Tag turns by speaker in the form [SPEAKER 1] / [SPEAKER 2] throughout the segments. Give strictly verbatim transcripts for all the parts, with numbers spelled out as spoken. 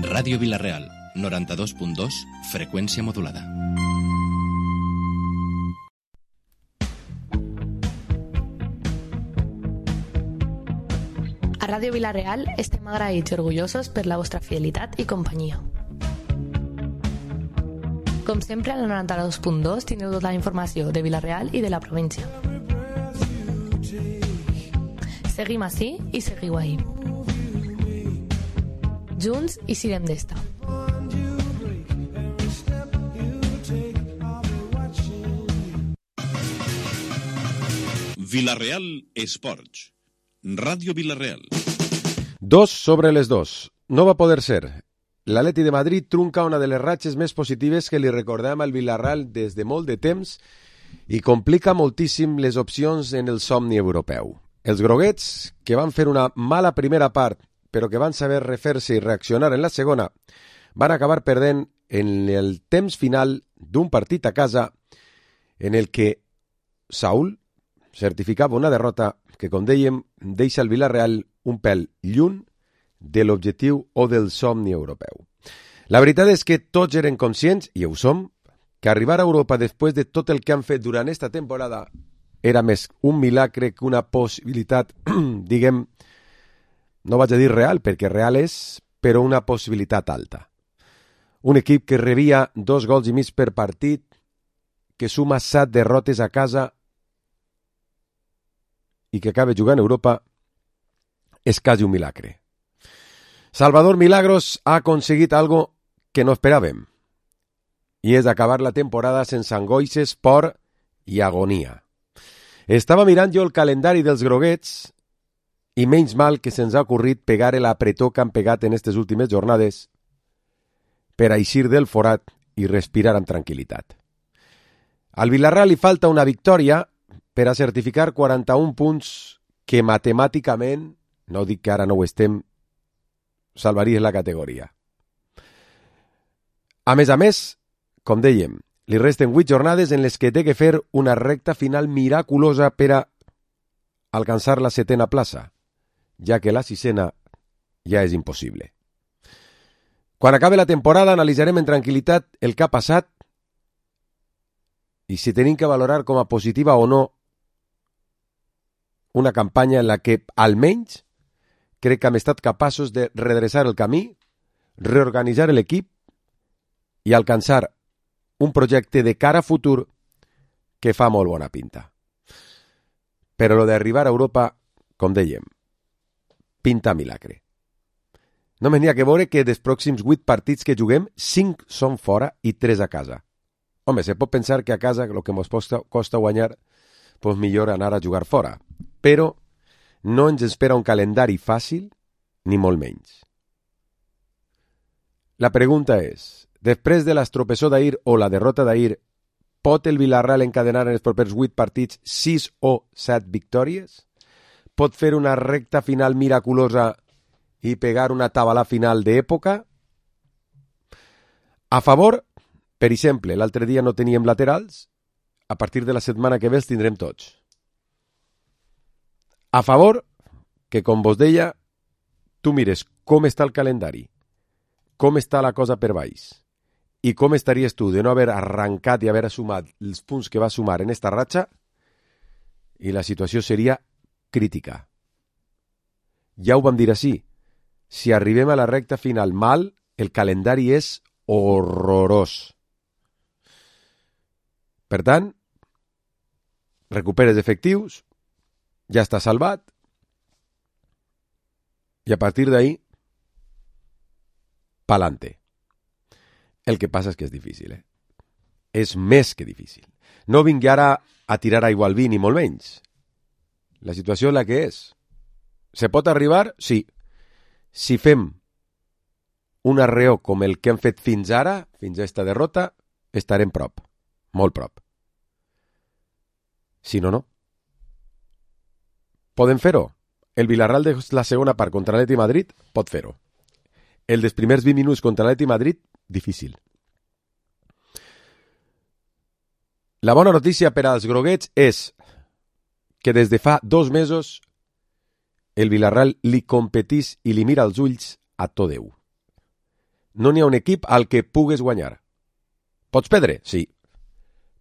[SPEAKER 1] Ràdio Vila-real, noranta-dos punt dos, freqüència modulada.
[SPEAKER 2] A Ràdio Vila-real estem agraïts i orgullosos per la vostra fidelitat i companyia. Com sempre, al noranta-dos punt dos teniu tota la informació de Vila-real i de la província. Seguim ací i seguiu ahí. Junts i sirem d'esta.
[SPEAKER 3] Vila-real Esports. Ràdio Vila-real.
[SPEAKER 4] Dos sobre les dos. No va poder ser. L'Atleti de Madrid trunca una de les ratxes més positives que li recordem al Vila-real des de molt de temps i complica moltíssim les opcions en el somni europeu. Els groguets, que van fer una mala primera part, però que van saber refer-se i reaccionar en la segona, van acabar perdent en el temps final d'un partit a casa en el que Saúl certificava una derrota que, com dèiem, deixa el Vila-real un pèl lluny de l'objectiu o del somni europeu. La veritat és que tots eren conscients, i ho som, que arribar a Europa després de tot el que han fet durant esta temporada era més un milagre que una possibilitat, diguem, no vaig a dir real, perquè real és, però una possibilitat alta. Un equip que rebia dos gols i mig per partit, que suma set derrotes a casa i que acaba jugant a Europa, és quasi un milagre. Salvador Milagros ha aconseguit algo que no esperàvem, i és acabar la temporada sense angoixes, por i agonia. Estava mirant jo el calendari dels groguets i menys mal que se'ns ha ocorrit pegar l'apretó que han pegat en aquestes últimes jornades per a eixir del forat i respirar amb tranquil·litat. Al Vila-real li falta una victòria per a certificar quaranta-un punts que matemàticament, no dic que ara no ho estem, salvaries la categoria. A més a més, com dèiem, li resten vuit jornades en les que té que fer una recta final miraculosa per a alcançar la setena plaça, ja que la sisena ja és impossible. Quan acabe la temporada analitzarem en tranquil·litat el que ha passat i si tenim que valorar com a positiva o no una campanya en la que, almenys, crec que hem estat capaços de redreçar el camí, reorganitzar l'equip i alcançar un projecte de cara a futur que fa molt bona pinta. Però lo d'arribar a Europa, com dèiem, pinta milagre. Només n'hi ha que veure que dels pròxims vuit partits que juguem, cinc són fora i tres a casa. Home, se pot pensar que a casa el que ens costa, costa guanyar, doncs millor anar a jugar fora. Però no ens espera un calendari fàcil, ni molt menys. La pregunta és, després de l'estropessó d'ahir o la derrota d'ahir, pot el Vila-real encadenar en els propers vuit partits sis o set victòries? Pot fer una recta final miraculosa i pegar una tabala final d'època? A favor, per exemple, l'altre dia no teníem laterals, a partir de la setmana que ve els tindrem tots. A favor, que com vos deia, tu mires com està el calendari, com està la cosa per baix, i com estaries tu de no haver arrencat i haver sumat els punts que va sumar en esta ratxa, i la situació seria crítica. Ja ho vam dir així, si arribem a la recta final mal, el calendari és horrorós. Per tant, recuperes efectius, ja està salvat, i a partir d'ahí, pa'lante. El que passa és que és difícil, eh? És més que difícil. No vingui ara a tirar aigua al vi, ni molt menys. La situació és la que és. Se pot arribar? Sí. Si fem un arreó com el que hem fet fins ara, fins a esta derrota, estarem prop. Molt prop. Si no, no. Podem fer-ho. El Vila-real de la segona part contra l'Atleti Madrid pot fer-ho. El dels primers vint minuts contra l'Atleti Madrid, difícil. La bona notícia per als groguets és que des de fa dos mesos el Vila-real li competís i li mira els ulls a tot Déu. no n'hi ha un equip al que pugues guanyar. Pots perdre? Sí.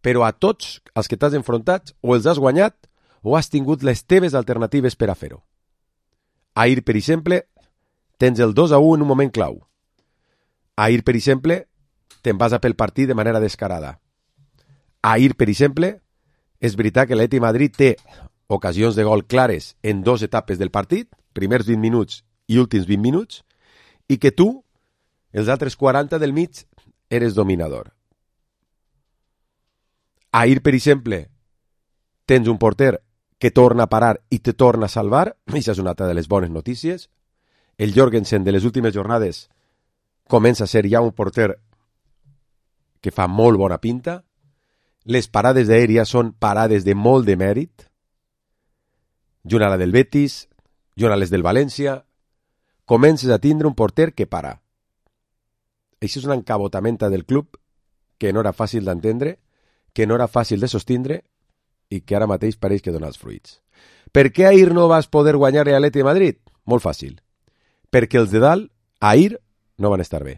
[SPEAKER 4] Però a tots els que t'has enfrontat o els has guanyat o has tingut les teves alternatives per a fer-ho. Ahir, per exemple, tens el dos a u en un moment clau. Ahir, per exemple, te'n vas a pel partit de manera descarada. Ahir, per exemple, és veritat que l'Atlètic de Madrid té ocasions de gol clares en dues etapes del partit, primers vint minuts i últims vint minuts, i que tu, els altres quaranta del mig, eres dominador. Ahir, per exemple, tens un porter que torna a parar i te torna a salvar, i això és una altra de les bones notícies. El Jorgensen de les últimes jornades comença a ser ja un porter que fa molt bona pinta. Les parades d'aèria són parades de molt de mèrit. Junt a la del Betis, junt a les del València, comences a tindre un porter que para. Això és una encabotamenta del club que no era fàcil d'entendre, que no era fàcil de sostindre i que ara mateix pareix que dona els fruits. Per què ahir no vas poder guanyar a l'Atlètic de Madrid? Molt fàcil. Perquè els de dalt, ahir, no van estar bé.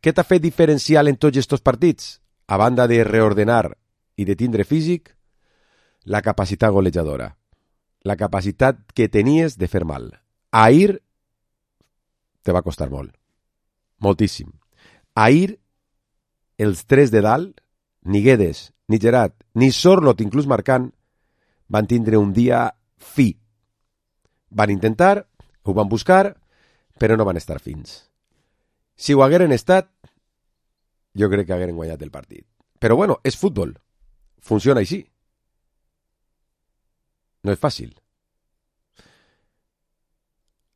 [SPEAKER 4] Què t'ha fet diferencial en tots aquests partits? A banda de reordenar i de tindre físic, la capacitat golejadora. La capacitat que tenies de fer mal. Ahir te va costar molt. Moltíssim. Ahir, els tres de dalt, ni Guedes, ni Gerard, ni Sorloth, inclús marcant, van tindre un dia fi. Van intentar, ho van buscar, però no van estar fins. Si ho hagueren estat, jo crec que hagueren guanyat el partit. Però bueno, és futbol. Funciona així. No és fàcil.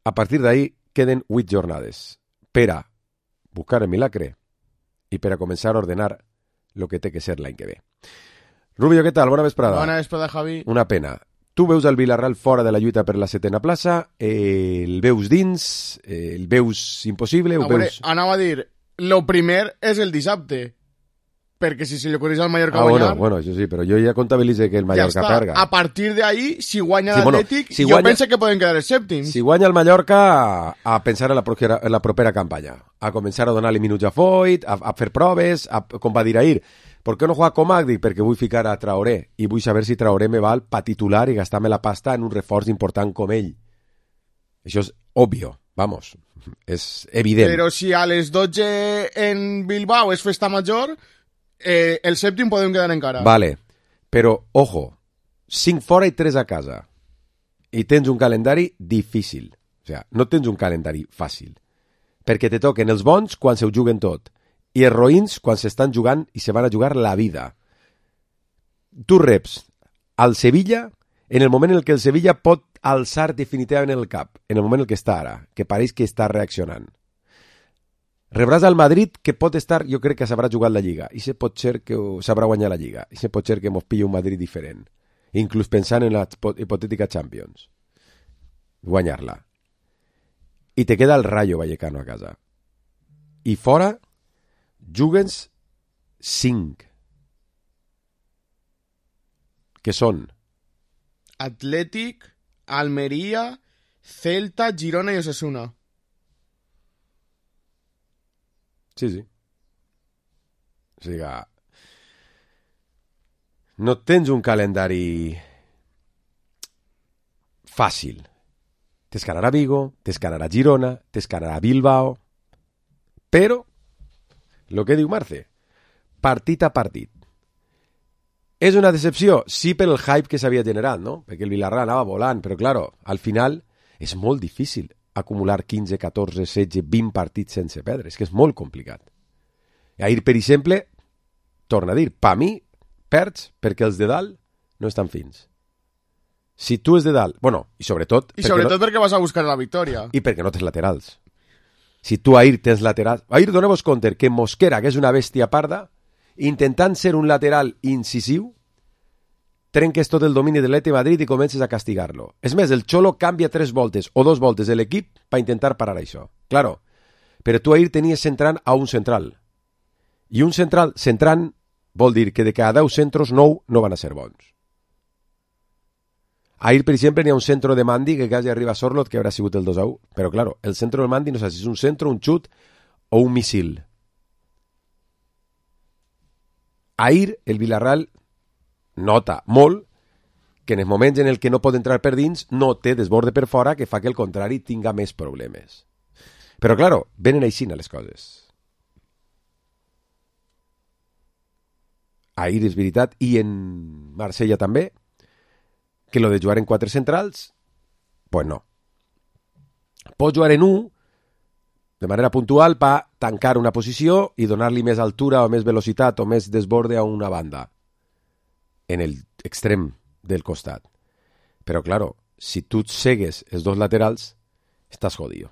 [SPEAKER 4] A partir d'ahí queden vuit jornades per a buscar el milagre i per a començar a ordenar el que té que ser l'any que ve. Rubio, què tal? Bona vesprada.
[SPEAKER 5] Bona vesprada, Javi.
[SPEAKER 4] Una pena. Tu veus el Villarreal fora de la lluita per la setena plaça, eh, el veus dins, eh, el veus impossible...
[SPEAKER 5] A
[SPEAKER 4] ho
[SPEAKER 5] veure,
[SPEAKER 4] veus...
[SPEAKER 5] anava a dir, lo primer és el dissabte, perquè si se li ocorreix al Mallorca
[SPEAKER 4] Ah,
[SPEAKER 5] guanyar...
[SPEAKER 4] bueno, bueno, això sí, però jo ja comptabilitze que el Mallorca
[SPEAKER 5] ja està.
[SPEAKER 4] perga.
[SPEAKER 5] A partir d'ahí, si guanya
[SPEAKER 4] Sí, bueno,
[SPEAKER 5] l'Atlètic,
[SPEAKER 4] si
[SPEAKER 5] jo
[SPEAKER 4] guanya-
[SPEAKER 5] penso que poden quedar els sèptims.
[SPEAKER 4] Si guanya el Mallorca, a, a pensar en la, propera, en la propera campanya, a començar a donar-li minuts a Foyt, a, a fer proves, a, com va dir ahir. ¿Por qué no juega Comac? Dic, perquè vull ficar a Traoré i vull saber si Traoré me val pa titular i gastar-me la pasta en un reforç important com ell. Això és obvio, vamos, és evident.
[SPEAKER 5] Però si a les dotze en Bilbao és festa major, eh, el sèptim podem quedar encara.
[SPEAKER 4] Vale, però, ojo, cinc fora i tres a casa. I tens un calendari difícil. O sigui, no tens un calendari fàcil. Perquè te toquen els bons quan se ho juguen tot. I els roïns quan s'estan jugant i se van a jugar la vida. Tu reps al Sevilla en el moment en què el Sevilla pot alçar definitivament el cap, en el moment en què està ara, que pareix que està reaccionant. Rebràs al Madrid, que pot estar, jo crec que s'haurà jugat la Lliga, i se pot ser que s'haurà guanyat la Lliga, i se pot ser que mos pilli un Madrid diferent, inclús pensant en la hipotètica Champions. Guanyar-la. I te queda el Rayo Vallecano a casa. I fora jugues cinc. Que són
[SPEAKER 5] Atlètic, Almeria, Celta, Girona i Osasuna.
[SPEAKER 4] Sí, sí. O sigui, no tens un calendari fàcil. T'escanarà Vigo, t'escanarà Girona, t'escanarà Bilbao, però el que diu Marce, partit a partit. És una decepció? Sí, per el hype que s'havia generat, no? Perquè el Villarreal anava volant, però, claro, al final és molt difícil acumular quinze, catorze, setze, vint partits sense perdre. És que és molt complicat. Ahir, per exemple, torna a dir, pa mi, perds perquè els de dalt no estan fins. Si tu és de dalt, bueno, i sobretot...
[SPEAKER 5] I sobretot no... perquè vas a buscar la victòria.
[SPEAKER 4] I perquè no tens laterals. Si tu ahir tens laterals... Ahir doneu-vos compte que Mosquera, que és una bèstia parda, intentant ser un lateral incisiu, trenques tot el domini de l'Atlètic de Madrid i comences a castigar-lo. És més, el Xolo canvia tres voltes o dos voltes de l'equip per intentar parar això. Claro, però tu ahir tenies centrant a un central. I un central centrant vol dir que de cada deu centros, nou no van a ser bons. Ahir, per exemple, n'hi ha un centro de Mandi que quasi arriba a Sorloth, que haurà sigut el dos a u. Però, claro, el centro del Mandi no sé si és un centro, un xut o un misil. Ahir el Villarreal nota molt que en els moments en el que no pot entrar per dins no té desborde per fora que fa que el contrari tinga més problemes. Però, claro, venen així les coses. Ahir és veritat, i en Marsella també, que lo de jugar en quatre centrals, pues no. Pots jugar en un de manera puntual per tancar una posició i donar-li més altura o més velocitat o més desborde a una banda en el extrem del costat. Però, claro, si tu segues els dos laterals, estàs jodido.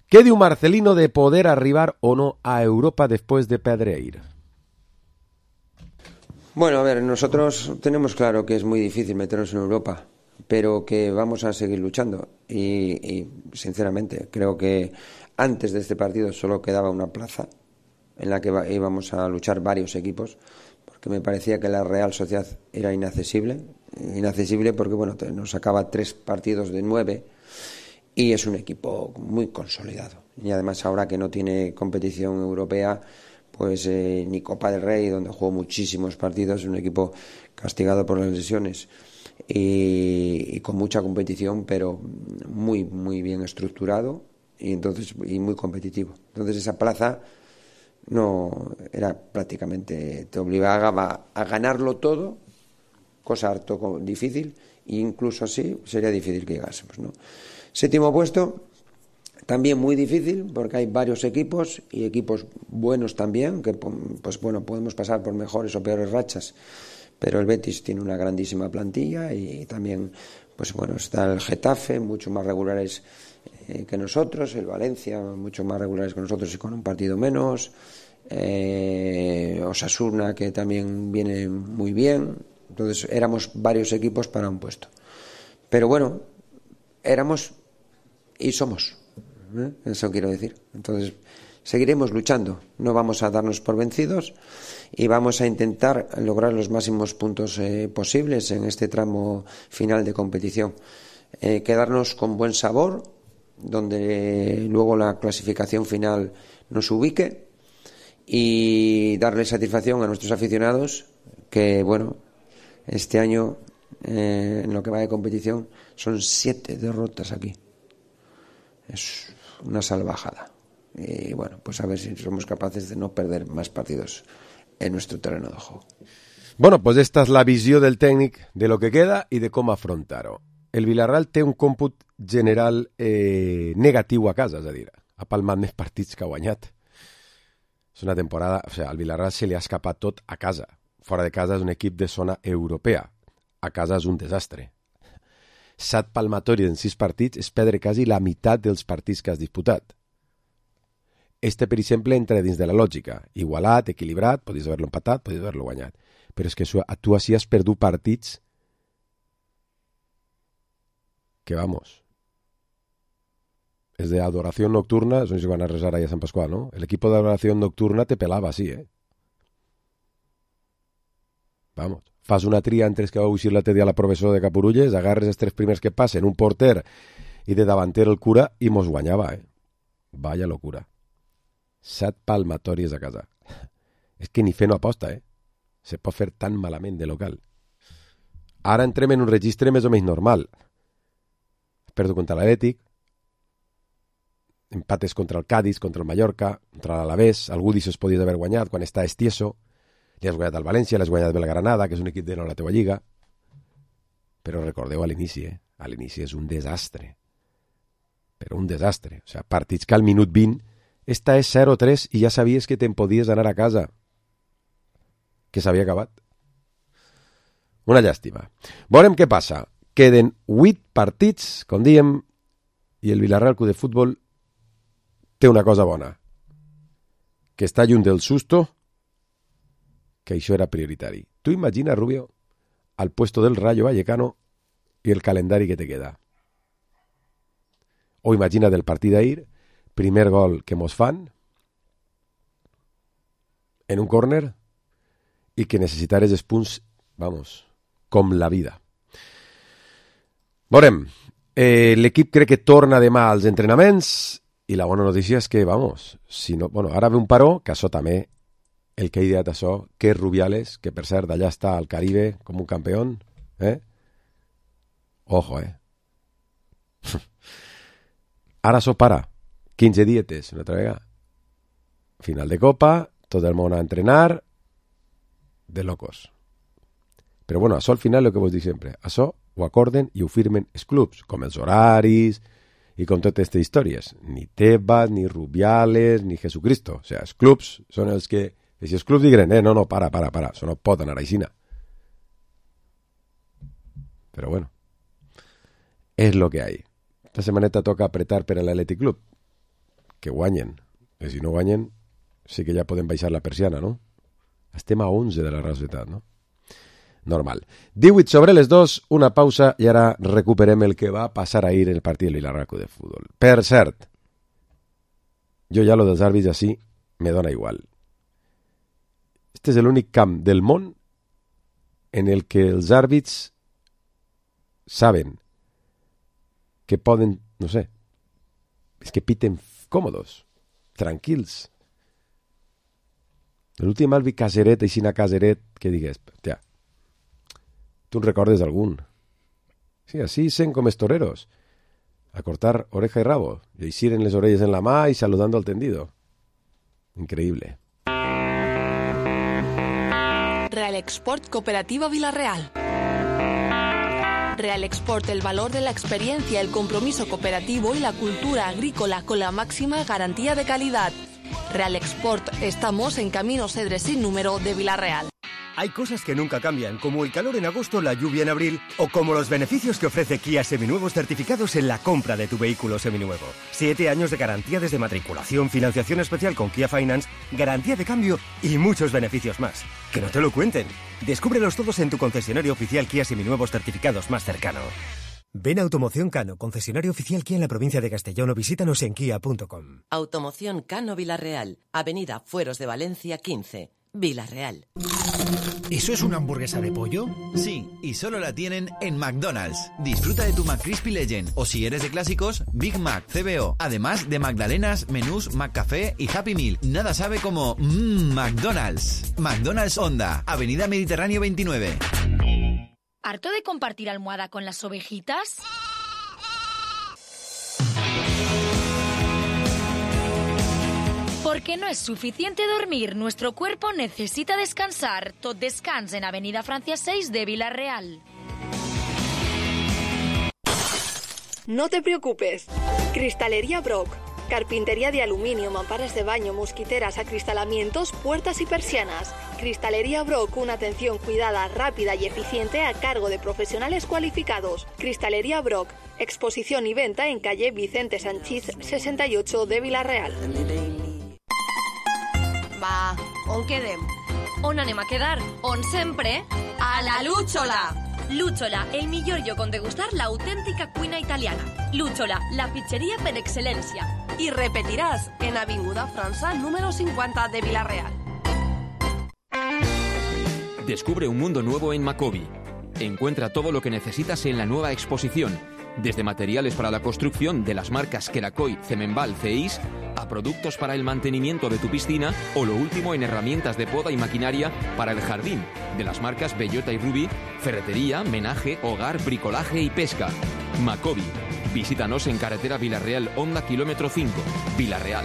[SPEAKER 4] ¿Qué diu Marcelino de poder arribar o no a Europa después de Pedreira?
[SPEAKER 6] Bueno, a ver, nosotros tenemos claro que es muy difícil meternos en Europa, pero que vamos a seguir luchando. Y, y sinceramente, creo que antes de este partido solo quedaba una plaza en la que íbamos a luchar varios equipos, porque me parecía que la Real Sociedad era inaccesible, inaccesible porque bueno, nos sacaba tres partidos de nueve y es un equipo muy consolidado. Y además ahora que no tiene competición europea, pues eh, ni Copa del Rey, donde jugó muchísimos partidos, es un equipo castigado por las lesiones y, y con mucha competición, pero muy, muy bien estructurado y, entonces, y muy competitivo. Entonces esa plaza no era prácticamente, te obligaba a ganarlo todo, cosa harto difícil, e incluso así sería difícil que llegásemos, ¿no? Séptimo puesto, también muy difícil porque hay varios equipos y equipos buenos también, que pues bueno, podemos pasar por mejores o peores rachas, pero el Betis tiene una grandísima plantilla y también pues bueno, está el Getafe, mucho más regulares eh, que nosotros, el Valencia, mucho más regulares que nosotros y con un partido menos, eh, Osasuna, que también viene muy bien. Entonces éramos varios equipos para un puesto, pero bueno, éramos y somos, ¿eh? Eso quiero decir. Entonces seguiremos luchando, no vamos a darnos por vencidos y vamos a intentar lograr los máximos puntos eh, posibles en este tramo final de competición, eh, quedarnos con buen sabor, donde luego la clasificación final nos ubique y darle satisfacción a nuestros aficionados, que bueno, este año eh, en lo que va de competición son siete derrotas aquí, es una salvajada. Y bueno, pues a ver si somos capaces de no perder más partidos en nuestro terreno de juego.
[SPEAKER 4] Bueno, pues esta és la visió del tècnic de lo que queda i de com afrontar-ho. El Villarreal té un còmput general eh, negatiu a casa, és a dir, ha palmat més partits que ha guanyat. És una temporada, o sigui, al Villarreal se li ha escapat tot a casa. Fora de casa és un equip de zona europea. A casa és un desastre. Set palmatoris en sis partits és perdre quasi la meitat dels partits que has disputat. Este, per exemple, entra dins de la lògica. Igualat, equilibrat, podies haver-lo empatat, podies haver-lo guanyat. Però és que tu així has perdut partits que, vamos, és de adoració nocturna, no sé si van a resar ahí a Sant Pasqual, ¿no? El equipo de adoración nocturna te pelava así, ¿eh? Vamos, fas una tria entre els que vau eixir l'altre dia a la professor de Capurulles, agarres els tres primers que passen, un porter i de davanter el cura, i mos guanyava, eh? Vaya locura. Set palmatòries a casa. És que ni fer no aposta, eh? Se pot fer tan malament de local. Ara entrem en un registre més o menys normal. Perdo contra l'Atlètic, empates contra el Cádiz, contra el Mallorca, contra l'Alavés, algú d'això es podia haver guanyat quan està estieso, li has guanyat al València, li has guanyat al Granada, que és un equip de no la teva lliga, però recordeu a l'inici, eh? A l'inici és un desastre, però un desastre. O sigui, partits que al minut vint esta és zero tres i ja sabies que te'n podies anar a casa, que s'havia acabat. Una llàstima. Veurem què passa. Queden vuit partits, com diem, i el Villarreal Club de Futbol té una cosa bona, que està lluny del susto, que això era prioritari. Tu imagina, Rubio, al puesto del Rayo Vallecano i el calendari que te queda. O imagina del partit d'ahir, primer gol que mos fan en un córner i que necessitares els punts, vamos, com la vida. Veurem, eh, l'equip crec que torna demà als entrenaments I la bona notícia és que, vamos, si no, bueno, ara ve un paró, que això també, el que ha ideat això, que és Rubiales, que per cert, allà està al Caribe com un campió, eh? Ojo, eh? Ara això para, quinze dietes, una altra vegada. Final de Copa, tot el món a entrenar, de locos. Però bueno, això al final el que vos dic sempre, això ho acorden i ho firmen els clubs, com els horaris i com totes aquestes històries. Ni Tebas, ni Rubiales, ni Jesucristo. O sigui, els clubs són els que... I si els clubs diguen, eh, no, no, para, para, para, això no pot anar aixina. Però bueno, és lo que hay. Esta setmaneta toca apretar per a l'Athletic Club. Que guanyen. I si no guanyen, sí que ja podem baixar la persiana, no? Estem a onze de la Real Societat, no? Normal. divuit sobre les dos, una pausa i ara recuperem el que va passar ahir en el partit del Villarreal de Futbol. Per cert, jo ja lo dels àrbits així me dona igual. Este és l'únic camp del món en el que els àrbits saben que poden, no sé, és que piten còmodos, tranquils. L'últim àrbit caseret, així a caseret, que digues, hòstia, tu en recordes d'algun? Sí, així sent com els toreros, a cortar oreja y rabo, y aixir les orelles en la mà y saludando al tendido. Increíble.
[SPEAKER 7] Real Export Cooperativa Villarreal. Real Export, el valor de la experiencia, el compromiso cooperativo y la cultura agrícola con la máxima garantía de calidad. Real Export, estamos en Camino Cedre sin número de Villarreal.
[SPEAKER 8] Hay cosas que nunca cambian, como el calor en agosto, la lluvia en abril, o como los beneficios que ofrece Kia Seminuevos certificados en la compra de tu vehículo seminuevo. Siete años de garantía desde matriculación, financiación especial con Kia Finance, garantía de cambio y muchos beneficios más. Que no te lo cuenten. Descúbrelos todos en tu concesionario oficial Kia Seminuevos certificados más cercano. Ven a Automoción Cano, concesionario oficial Kia en la provincia de Castellón, o visítanos en kia punto com.
[SPEAKER 9] Automoción Cano Villarreal, Avenida Fueros de Valencia quince, Villarreal.
[SPEAKER 10] ¿Eso es una hamburguesa de pollo?
[SPEAKER 11] Sí, y solo la tienen en McDonald's. Disfruta de tu McCrispy Legend, o si eres de clásicos, Big Mac, C B O. Además de magdalenas, menús, McCafé y Happy Meal. Nada sabe como mmm, McDonald's. McDonald's Honda, Avenida Mediterráneo veintinueve.
[SPEAKER 12] ¿Harto de compartir almohada con las ovejitas? Porque no es suficiente dormir, nuestro cuerpo necesita descansar. Tot Descans en Avenida Francia seis de Villarreal.
[SPEAKER 13] No te preocupes. Cristalería Brock. Carpintería de aluminio, mamparas de baño, mosquiteras, acristalamientos, puertas y persianas. Cristalería Brock, una atención cuidada, rápida y eficiente a cargo de profesionales cualificados. Cristalería Brock, exposición y venta en calle Vicente Sanchís sesenta y ocho de Villarreal.
[SPEAKER 14] Va, on quedem?
[SPEAKER 12] On anem a quedar? On sempre?
[SPEAKER 14] A la Lúchola!
[SPEAKER 12] Lúchola, el millor lloc on degustar l'autèntica cuina italiana. Lúchola, la pizzería per excelencia.
[SPEAKER 14] Y repetirás en Avinguda França número cincuenta de Villarreal.
[SPEAKER 15] Descubre un mundo nuevo en Macobi. Encuentra todo lo que necesitas en la nueva exposición, desde materiales para la construcción de las marcas Kerakoy, Cemenbal, Ceis, a productos para el mantenimiento de tu piscina o lo último en herramientas de poda y maquinaria para el jardín, de las marcas Bellota y Ruby, ferretería, menaje, hogar, bricolaje y pesca. Macobi. Visítanos en carretera Villarreal Honda kilómetro cinco, Villarreal.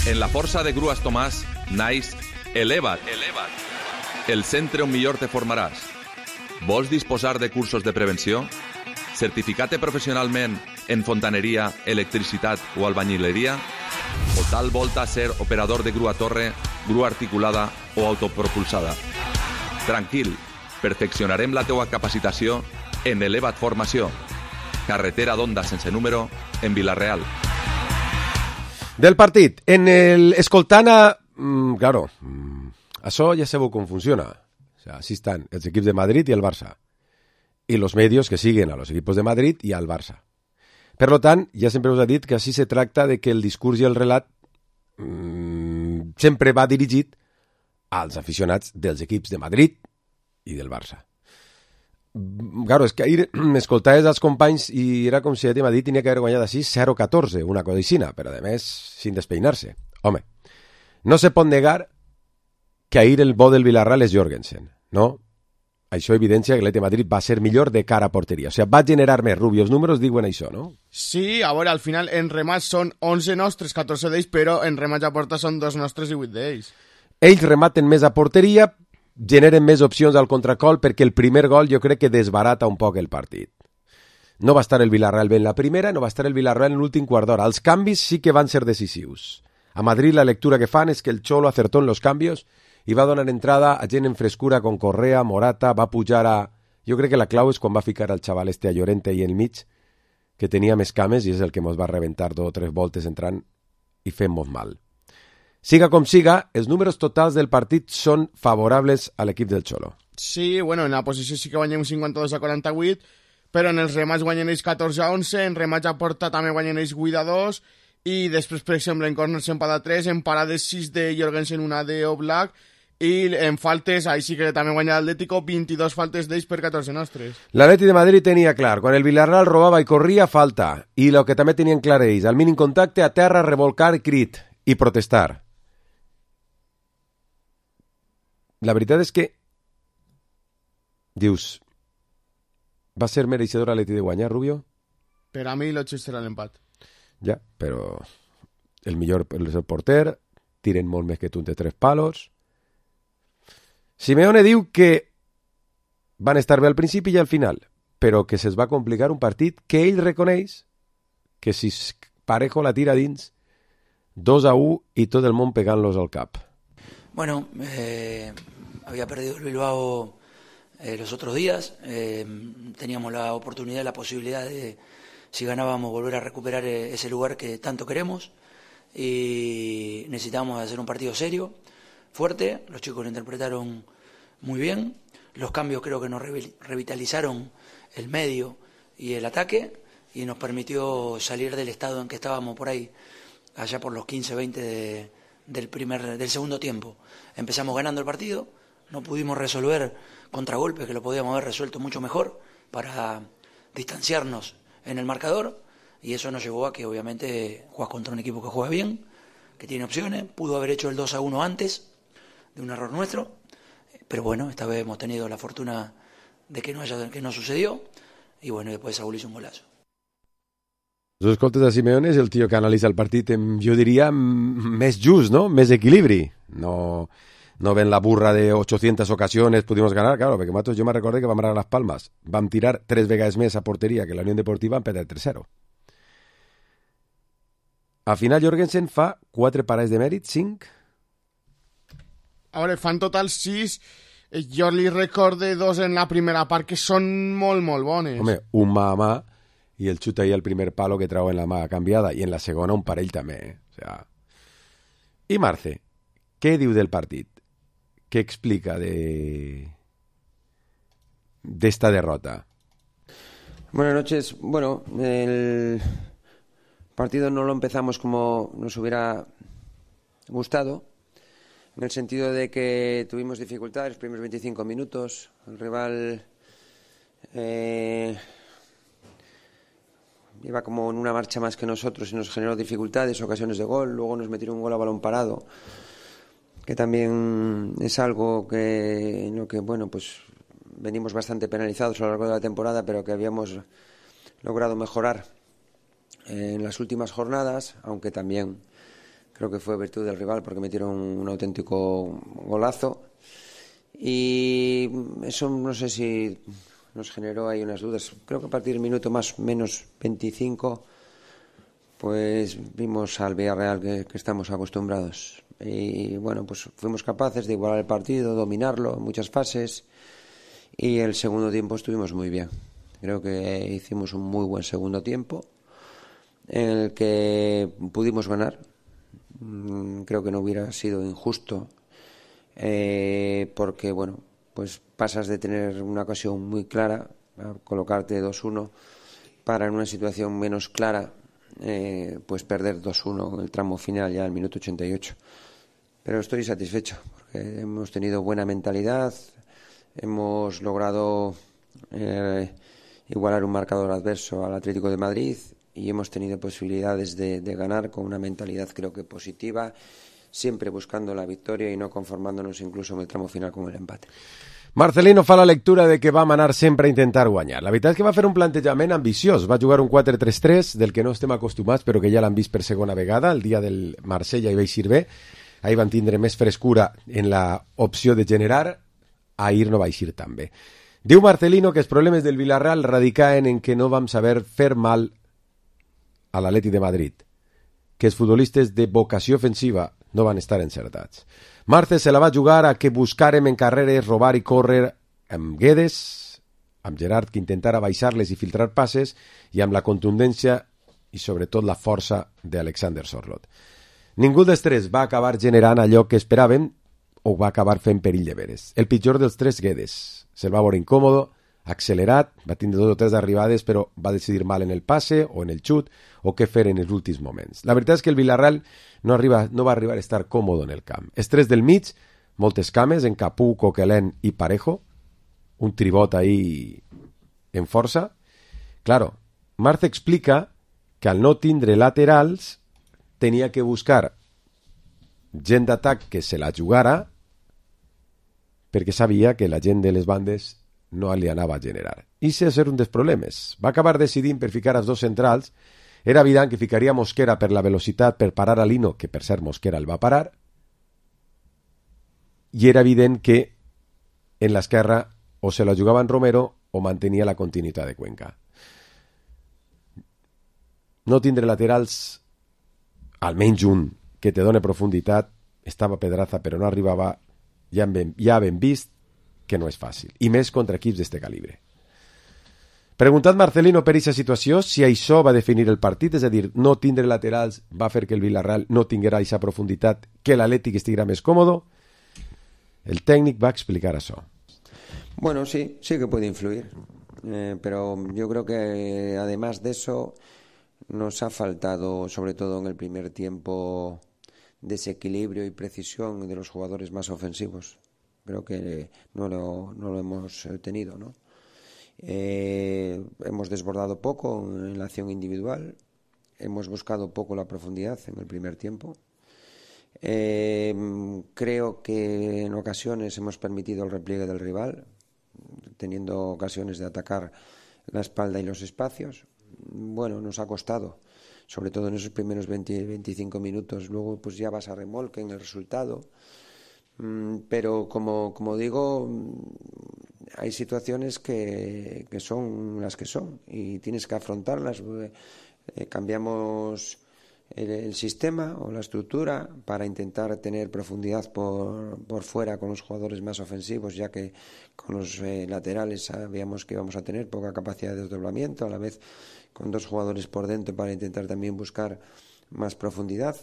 [SPEAKER 16] En la Força de Grues Tomàs naix Eleva't, Eleva't, el centre on millor te formaràs. Vols disposar de cursos de prevenció? Certificar-te professionalment en fontaneria, electricitat o albañileria? O tal volta ser operador de grua torre, grua articulada o autopropulsada? Tranquil, perfeccionarem la teua capacitació en Eleva't Formació. Carretera d'Onda sense número en Villarreal.
[SPEAKER 4] Del partit, en el escoltant a... Mm, claro, mm, això ja sabeu com funciona. O sea, así están els equips de Madrid y el Barça. Y los medios que siguen a los equipos de Madrid y al Barça. Per lo tant, ja sempre us he dit que així se tracta de que el discurs i el relat mmm, sempre va dirigit als aficionats dels equips de Madrid i del Barça. Claro, és que ahir m'escoltaves els companys i era com si l'Atlètic de Madrid tenia que haver guanyat així zero catorze, una cosa aixina, però a més sin despeinar-se. Home, no se pot negar que ahir el bo del Villarreal és Jorgensen, no? Això evidència que l'Atlètic de Madrid va ser millor de cara a porteria. O sigui, va generar més. Rubio, els números diuen això, no?
[SPEAKER 5] Sí, a veure, al final en remats són onze nostres, catorze d'ells, però en remats a porta són dos nostres i vuit d'ells.
[SPEAKER 4] Ells rematen més a porteria, generen més opcions al contracol, perquè el primer gol jo crec que desbarata un poc el partit. No va estar el Villarreal bé en la primera, no va estar el Villarreal en l'últim quart d'hora. Els canvis sí que van ser decisius. A Madrid la lectura que fan és que el Cholo acertó en los cambios i va donar entrada a gent en frescura con Correa, Morata, va pujar a... Jo crec que la clau és quan va ficar el xaval este a Llorente i en mig, que tenia més cames i és el que mos va rebentar dos o tres voltes entrant i fent-mos mal. Siga com siga, els números totals del partit són favorables a l'equip del Cholo.
[SPEAKER 5] Sí, bueno, en la posició sí que guanyem cinquanta-dos a quaranta-vuit, però en els remats guanyen ells catorze a onze, en remats a porta també guanyen ells vuit a dos, i després, per exemple, en corners empat a tres, en parades sis de Jorgensen, una de Oblak, i en faltes, ahí sí que també guanya l'Atlético, vint-i-dos faltes d'ells per catorze nostres.
[SPEAKER 4] L'Atlètic de Madrid tenia clar, quan el Villarreal robava i corria, falta, i el que també tenien clar ells, al mínim contacte, a terra, revolcar, crit i protestar. La veritat és que dius, va ser mereixedor l'Atlètic de guanyar, Rubio?
[SPEAKER 5] Per a mi l'Otxes serà l'empat.
[SPEAKER 4] Ja, però el millor és el porter, tiren molt més que tu de tres palos. Simeone diu que van estar bé al principi i al final, però que se'ls va complicar un partit que ell reconeix que si Parejo la tira dins, dos a u i tot el món pegant-los al cap.
[SPEAKER 17] Bueno, eh, había perdido el Bilbao eh, los otros días, eh, teníamos la oportunidad, la posibilidad de, si ganábamos, volver a recuperar ese lugar que tanto queremos y necesitábamos hacer un partido serio, fuerte. Los chicos lo interpretaron muy bien, los cambios creo que nos revitalizaron el medio y el ataque y nos permitió salir del estado en que estábamos por ahí, allá por los quince veinte de del primer del segundo tiempo. Empezamos ganando el partido, no pudimos resolver contragolpes que lo podíamos haber resuelto mucho mejor para distanciarnos en el marcador y eso nos llevó a que obviamente juegas contra un equipo que juega bien, que tiene opciones, pudo haber hecho el dos a uno antes de un error nuestro, pero bueno, esta vez hemos tenido la fortuna de que no haya, que no sucedió y bueno, después Saúl hizo un golazo.
[SPEAKER 4] Els escoltes de Simeone és el tio que analitza el partit amb, jo diria, més just, no? Més equilibri. No, no ven la burra de ochocientas ocasiones pudimos ganar, claro, perquè nosaltres jo me recordé que vam anar a Las Palmas. Vam tirar tres vegades més a porteria que la Unión Deportiva en perder tres zero. Al final Jorgensen fa quatre parades de mèrit, cinc.
[SPEAKER 5] A veure, fan total sis. Jo li recorde dos en la primera part que són molt, molt bones.
[SPEAKER 4] Home, un mà a mà i el xut ahí al primer palo que trau en la mà canviada i en la segona un parell també, eh? O sea... I Marce, què diu del partit? Què explica de d'esta derrota?
[SPEAKER 6] Buenas noches. Bueno, el partido no lo empezamos como nos hubiera gustado, en el sentido de que tuvimos dificultades los primeros veinticinco minutos, el rival eh, iba como en una marcha más que nosotros y nos generó dificultades, ocasiones de gol, luego nos metieron un gol a balón parado, que también es algo que en lo que, bueno, pues venimos bastante penalizados a lo largo de la temporada, pero que habíamos logrado mejorar en las últimas jornadas, aunque también creo que fue virtud del rival porque metieron un auténtico golazo y eso no sé si nos generó ahí unas dudas. Creo que a partir del minuto más menos veinticinco pues vimos al Villarreal que, que estamos acostumbrados y bueno, pues fuimos capaces de igualar el partido, dominarlo en muchas fases y el segundo tiempo estuvimos muy bien. Creo que hicimos un muy buen segundo tiempo en el que pudimos ganar. Creo que no hubiera sido injusto eh, porque bueno, pues pasas de tener una ocasión muy clara a colocarte dos uno para en una situación menos clara eh, pues perder dos uno en el tramo final ya al minuto ochenta y ocho. Pero estoy satisfecho porque hemos tenido buena mentalidad, hemos logrado eh, igualar un marcador adverso al Atlético de Madrid y hemos tenido posibilidades de, de ganar con una mentalidad creo que positiva, siempre buscando la victoria y no conformándonos incluso en el tramo final con el empate.
[SPEAKER 4] Marcelino fa la lectura de que va a manar sempre a intentar guanyar. La veritat és que va fer un plantejament ambiciós. Va jugar un quatre tres tres del que no estem acostumats, però que ja l'han vist per segona vegada. El dia del Marsella hi va eixir bé. Ahir van tindre més frescura en la opció de generar. Ahir no va eixir tan bé. Diu Marcelino que els problemes del Villarreal radicaven en que no vam saber fer mal a l'Atleti de Madrid, que els futbolistes de vocació ofensiva no van estar encertats. Marce se la va jugar a que buscàrem en carreres, robar i córrer amb Guedes, amb Gerard que intentara baixar-les i filtrar passes, i amb la contundència i sobretot la força d'Alexander Sorloth. Ningú dels tres va acabar generant allò que esperàvem o va acabar fent perill de veres. El pitjor dels tres, Guedes. Se'l va veure incòmodo, accelerat, va tindre dos o tres arribades, però va decidir mal en el passe o en el xut o què fer en els últims moments. La veritat és que el Villarreal no, arriba, no va arribar a estar còmode en el camp. Els tres del mig, moltes cames, en Capú, Coquelin i Parejo, un tribot ahí en força. Claro, Marce explica que al no tindre laterals tenia que buscar gent d'atac que se la jugara perquè sabia que la gent de les bandes no li anava a generar. I ese és un dels problemes. Va acabar decidint per ficar els dos centrals. Era evident que ficaria Mosquera per la velocitat per parar a Lino, que per ser Mosquera el va parar, i era evident que en l'esquerra o se la jugava en Romero o mantenia la continuïtat de Cuenca. No tindre laterals, almenys un, que te done profunditat, estava Pedraza però no arribava, ja ben, ja ben vist que no és fàcil, i més contra equips d'este calibre. Preguntat Marcelino per aquesta situació, si això va definir el partit, és a dir, no tindre laterals va fer que el Villarreal no tinguera aquesta profunditat, que l'Atlètic estiguera més còmodo, el tècnic va explicar això.
[SPEAKER 6] Bueno, sí, sí que puede influir, eh, pero yo creo que además de eso nos ha faltado, sobre todo en el primer tiempo, desequilibrio y precisión de los jugadores más ofensivos. Creo que no lo, no lo hemos tenido, ¿no? Eh, hemos desbordado poco en la acción individual, hemos buscado poco la profundidad en el primer tiempo. Eh, creo que en ocasiones hemos permitido el repliegue del rival, teniendo ocasiones de atacar la espalda y los espacios. Bueno, nos ha costado, sobre todo en esos primeros veinte, veinticinco minutos. Luego pues ya vas a remolque en el resultado. Pero como, como digo, hay situaciones que, que son las que son y tienes que afrontarlas. Eh, cambiamos el, el sistema o la estructura para intentar tener profundidad por, por fuera con los jugadores más ofensivos, ya que con los eh, laterales sabíamos que íbamos a tener poca capacidad de desdoblamiento, a la vez con dos jugadores por dentro para intentar también buscar más profundidad.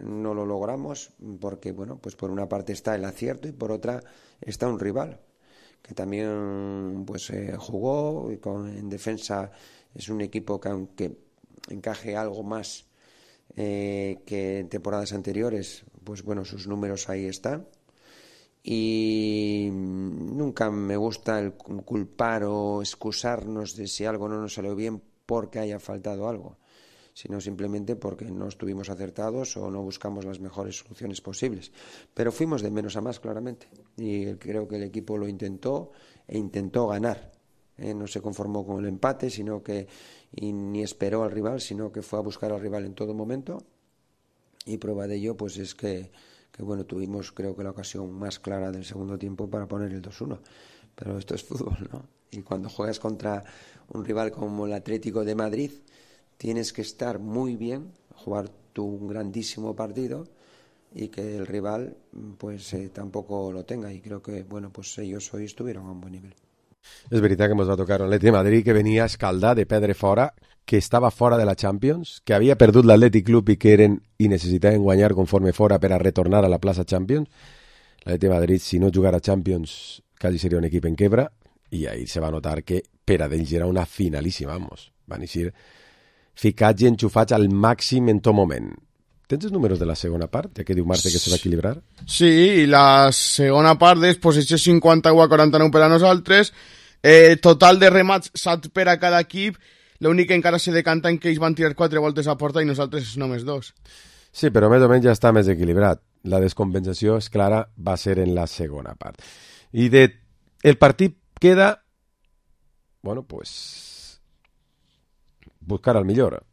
[SPEAKER 6] No lo logramos porque, bueno, pues por una parte está el acierto y por otra está un rival que también pues eh, jugó y con, en defensa es un equipo que aunque encaje algo más eh, que en temporadas anteriores, pues bueno, sus números ahí están. Y nunca me gusta el culpar o excusarnos de si algo no nos salió bien porque haya faltado algo, sino simplemente porque no estuvimos acertados o no buscamos las mejores soluciones posibles. Pero fuimos de menos a más, claramente, y creo que el equipo lo intentó e intentó ganar. Eh, no se conformó con el empate, sino que y ni esperó al rival, sino que fue a buscar al rival en todo momento, y prueba de ello pues es que, que bueno, tuvimos creo que la ocasión más clara del segundo tiempo para poner el dos uno. Pero esto es fútbol, ¿no? Y cuando juegas contra un rival como el Atlético de Madrid, tienes que estar muy bien, jugar tú un grandísimo partido y que el rival pues eh, tampoco lo tenga, y creo que bueno, pues ellos hoy estuvieron a un buen nivel.
[SPEAKER 4] És veritat que ens va tocar un Atlètic de Madrid que venia escaldat de perdre fora, que estava fora de la Champions, que havia perdut l'Atlètic Club i que eren i necessitaven guanyar conforme fora per a retornar a la plaça Champions. L'Atlètic de Madrid, si no jugara Champions, quasi seria un equip en quebra, i ahir se va notar que per a d'ells era una finalíssima, vamos. Van eixir ficats i enxufats al màxim en tot moment. Tens els números de la segona part, ja que diu Marta que se va equilibrar?
[SPEAKER 5] Sí, i la segona part és possessió cinquanta-u a quaranta-nou per a nosaltres Eh, total de remats, set per a cada equip. L'únic que encara se decanta en que ells van tirar quatre voltes a porta i nosaltres només dos.
[SPEAKER 4] Sí, però més o menys ja està més equilibrat. La descompensació, és clara, va ser en la segona part. I de... el partit queda, bueno, pues, buscar el millor.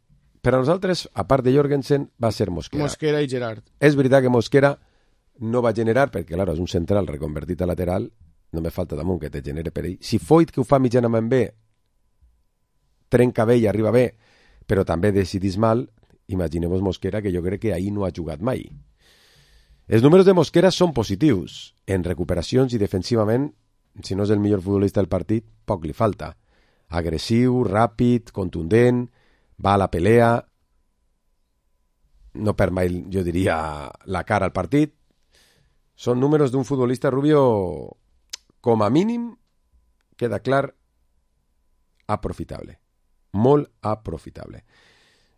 [SPEAKER 4] Per a nosaltres, a part de Jorgensen, va ser Mosquera.
[SPEAKER 5] Mosquera i Gerard.
[SPEAKER 4] És veritat que Mosquera no va generar, perquè, clar, és un central reconvertit a lateral, només falta damunt que te genere per ell. Si Foyt, que ho fa mitjanament bé, trenca bé i arriba bé, però també decidís mal, imagineu-vos Mosquera, que jo crec que ahir no ha jugat mai. Els números de Mosquera són positius. En recuperacions i defensivament, si no és el millor futbolista del partit, poc li falta. Agressiu, ràpid, contundent, va a la pelea, no perd mai, jo diria, la cara al partit. Són números d'un futbolista, Rubio, com a mínim, queda clar, aprofitable. Molt aprofitable.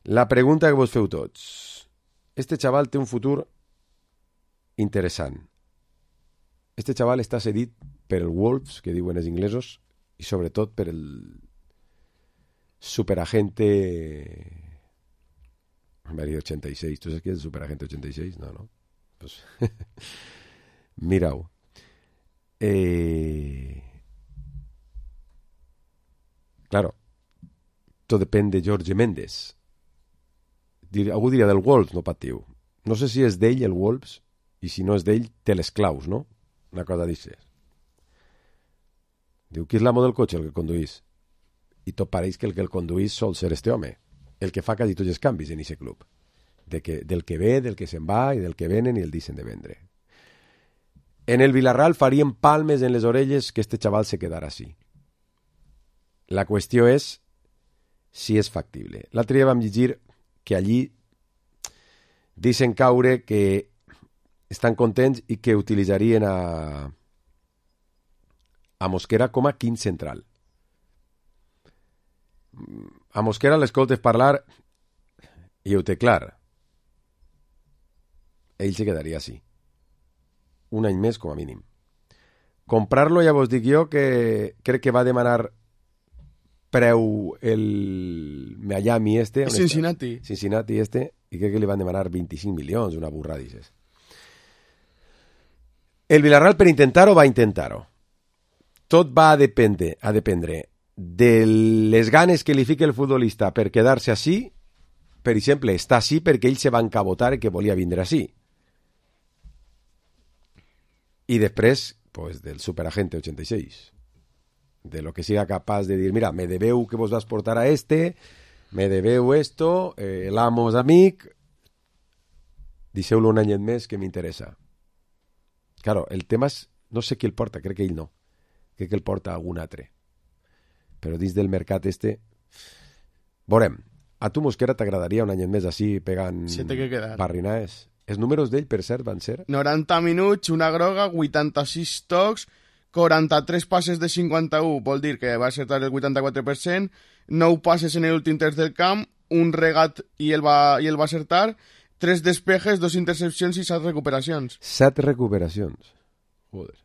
[SPEAKER 4] La pregunta que vos feu tots. Este xaval té un futur interessant. Este xaval està cedit per el Wolves, que diuen els inglesos, i sobretot per el superagente... Me ha dit ochenta y seis. ¿Tú sabes qué es el superagente ochenta y seis? No, no. Pues... Mira-ho. Eh... Claro, tot depèn de Jorge Méndez. Algú diria del Wolves, no patiu. No sé si és d'ell el Wolves, i si no és d'ell, té les claus, no? Una cosa d'aixes. Diu, qui és l'amo del cotxe? El que conduís. I tot pareix que el que el conduís sol ser este home, el que fa quasi tots els canvis en aquest club. De que, del que ve, del que se'n va, i del que venen i el deixen de vendre. En el Villarreal farien palmes en les orelles que este xaval se quedara així. La qüestió és si és factible. L'altre dia vam llegir que allí deixen caure que estan contents i que utilitzarien a, a Mosquera com a quint central. A Mosquera l'escoltes parlar i ho té clar. Ell se quedaria així. Un any més com a mínim. Comprar-lo ja vos dic jo que crec que va demanar preu el Miami este.
[SPEAKER 5] Cincinnati.
[SPEAKER 4] Està? Cincinnati este, i crec que li van demanar vint-i-cinc milions, una burrada d'aixes. El Villarreal per intentar-ho va intentar-ho. Tot va a dependre, a dependre de les ganes que li fica el futbolista per quedar-se així. Per exemple, està així perquè ell se va encabotar que volia vindre així. I després, pues, del superagente ochenta y seis. De lo que siga capaz de dir, mira, me debeu que vos vas portar a este, me debeu esto, eh, l'amo és amic, deixeu-lo un any més que m'interessa. Claro, el tema és, no sé qui el porta, crec que ell no. Crec que el porta algun altre. Però dins del mercat este, veurem, a tu Mosquera t'agradaria un any més així pegant barrinaes? Els números d'ell, per cert, van ser?
[SPEAKER 5] noranta minuts, una groga, vuitanta-sis tocs, quaranta-tres passes de cinquanta-un, vol dir que va acertar el vuitanta-quatre per cent, nou passes en l'últim terç del camp, un regat i el va, i el va acertar, tres despejes, dos intercepcions i set recuperacions.
[SPEAKER 4] Set recuperacions. Joder.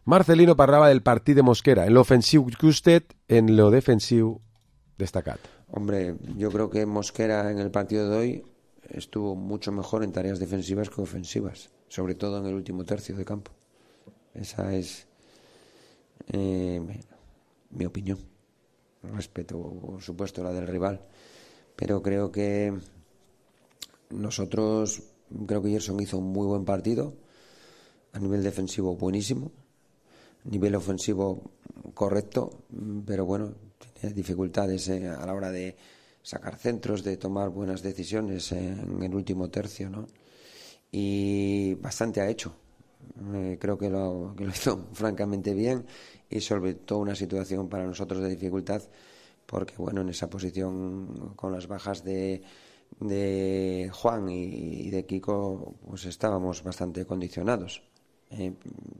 [SPEAKER 4] Marcelino parlava del partit de Mosquera, en l'ofensiu justet, en lo defensiu destacat.
[SPEAKER 6] Hombre, yo creo que Mosquera en el partido de hoy estuvo mucho mejor en tareas defensivas que ofensivas, sobre todo en el último tercio de campo. Esa es eh, mi opinión. Respeto, por supuesto, la del rival, pero creo que nosotros, creo que Gerson hizo un muy buen partido, a nivel defensivo buenísimo, a nivel ofensivo correcto, pero bueno, tiene dificultades eh, a la hora de sacar centros, de tomar buenas decisiones en el último tercio, ¿no? Y bastante ha hecho. Eh, creo que lo, que lo hizo francamente bien y solventó una situación para nosotros de dificultad porque, bueno, en esa posición con las bajas de, de Juan y, y de Kiko, pues estábamos bastante condicionados. Eh,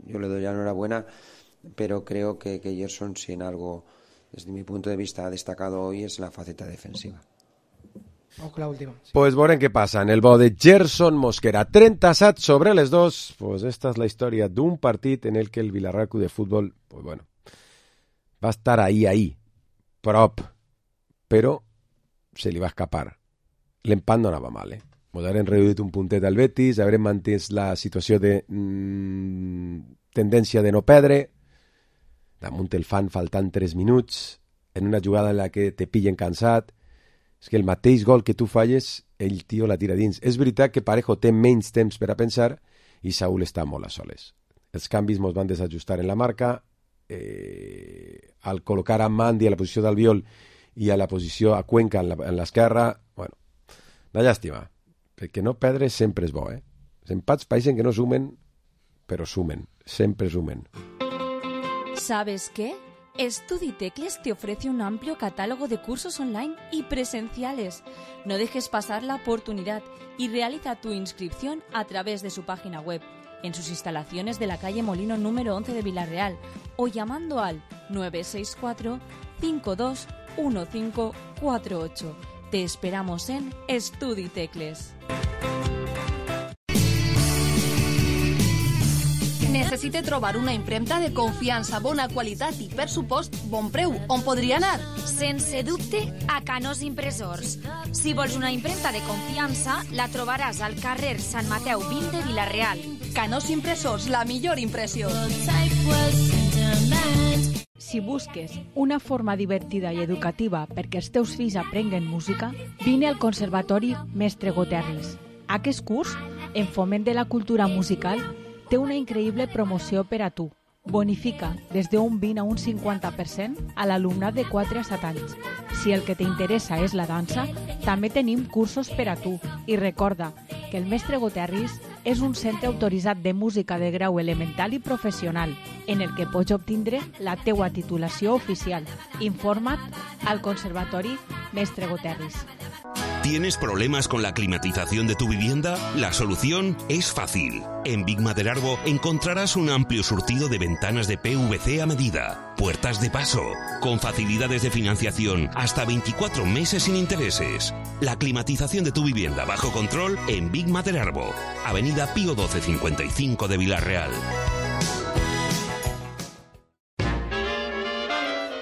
[SPEAKER 6] yo le doy la enhorabuena, pero creo que, que Gerson, si en algo, desde mi punto de vista, ha destacado hoy es la faceta defensiva.
[SPEAKER 10] Vamos con la última. Sí.
[SPEAKER 4] Pues veurem què passa en el bo de Gerson Mosquera. trenta-set sobre les dos. Pues esta és la història d'un partit en el que el Villarreal Club de Fútbol, pues bueno, va estar ahí, ahí, prop, però se li va escapar. L'empat no anava mal, eh? Ens haurem reduït un puntet al Betis, haurem mantès la situació de mm, tendència de no perdre, damunt el fan faltant tres minuts, en una jugada en la que te pillen cansat. És que el mateix gol que tu falles, el tio la tira dins. És veritat que Parejo té menys temps per a pensar i Saúl està molt a soles. Els canvis mos van desajustar en la marca, eh, al col·locar a Mandi a la posició d'Albiol i a la posició a Cuenca en l'esquerra, bueno, una llàstima, perquè no perdre sempre és bo, eh? Els empats pareixen que no sumen, però sumen, sempre sumen.
[SPEAKER 18] ¿Sabes qué? StudiTecles te ofrece un amplio catálogo de cursos online y presenciales. No dejes pasar la oportunidad y realiza tu inscripción a través de su página web, en sus instalaciones de la calle Molino número once de Villarreal o llamando al nueve seis cuatro, cinco dos uno cinco cuatro ocho. Te esperamos en StudiTecles.
[SPEAKER 7] Necessite trobar una impremta de confiança, bona qualitat i, per supost, bon preu. On podria anar?
[SPEAKER 12] Sense dubte, a Canós Impressors. Si vols una impremta de confiança, la trobaràs al carrer Sant Mateu vint de Vilareal.
[SPEAKER 7] Canós Impressors, la millor impressió.
[SPEAKER 19] Si busques una forma divertida i educativa perquè els teus fills aprenguen música, vine al Conservatori Mestre Goterris. Aquest curs, en foment de la cultura musical, té una increïble promoció per a tu. Bonifica des d'un vint a un cinquanta per cent a l'alumnat de quatre a set anys. Si el que t'interessa és la dansa, també tenim cursos per a tu. I recorda que el Mestre Goterris és un centre autoritzat de música de grau elemental i professional, en el que pots obtindre la teua titulació oficial. Informa't al Conservatori Mestre Goterris.
[SPEAKER 20] ¿Tienes problemas con la climatización de tu vivienda? La solución es fácil. En Big Maderarbo encontrarás un amplio surtido de ventanas de P V C a medida, puertas de paso, con facilidades de financiación hasta veinticuatro meses sin intereses. La climatización de tu vivienda bajo control en Big Maderarbo, Avenida Pío doce cincuenta y cinco de Villarreal.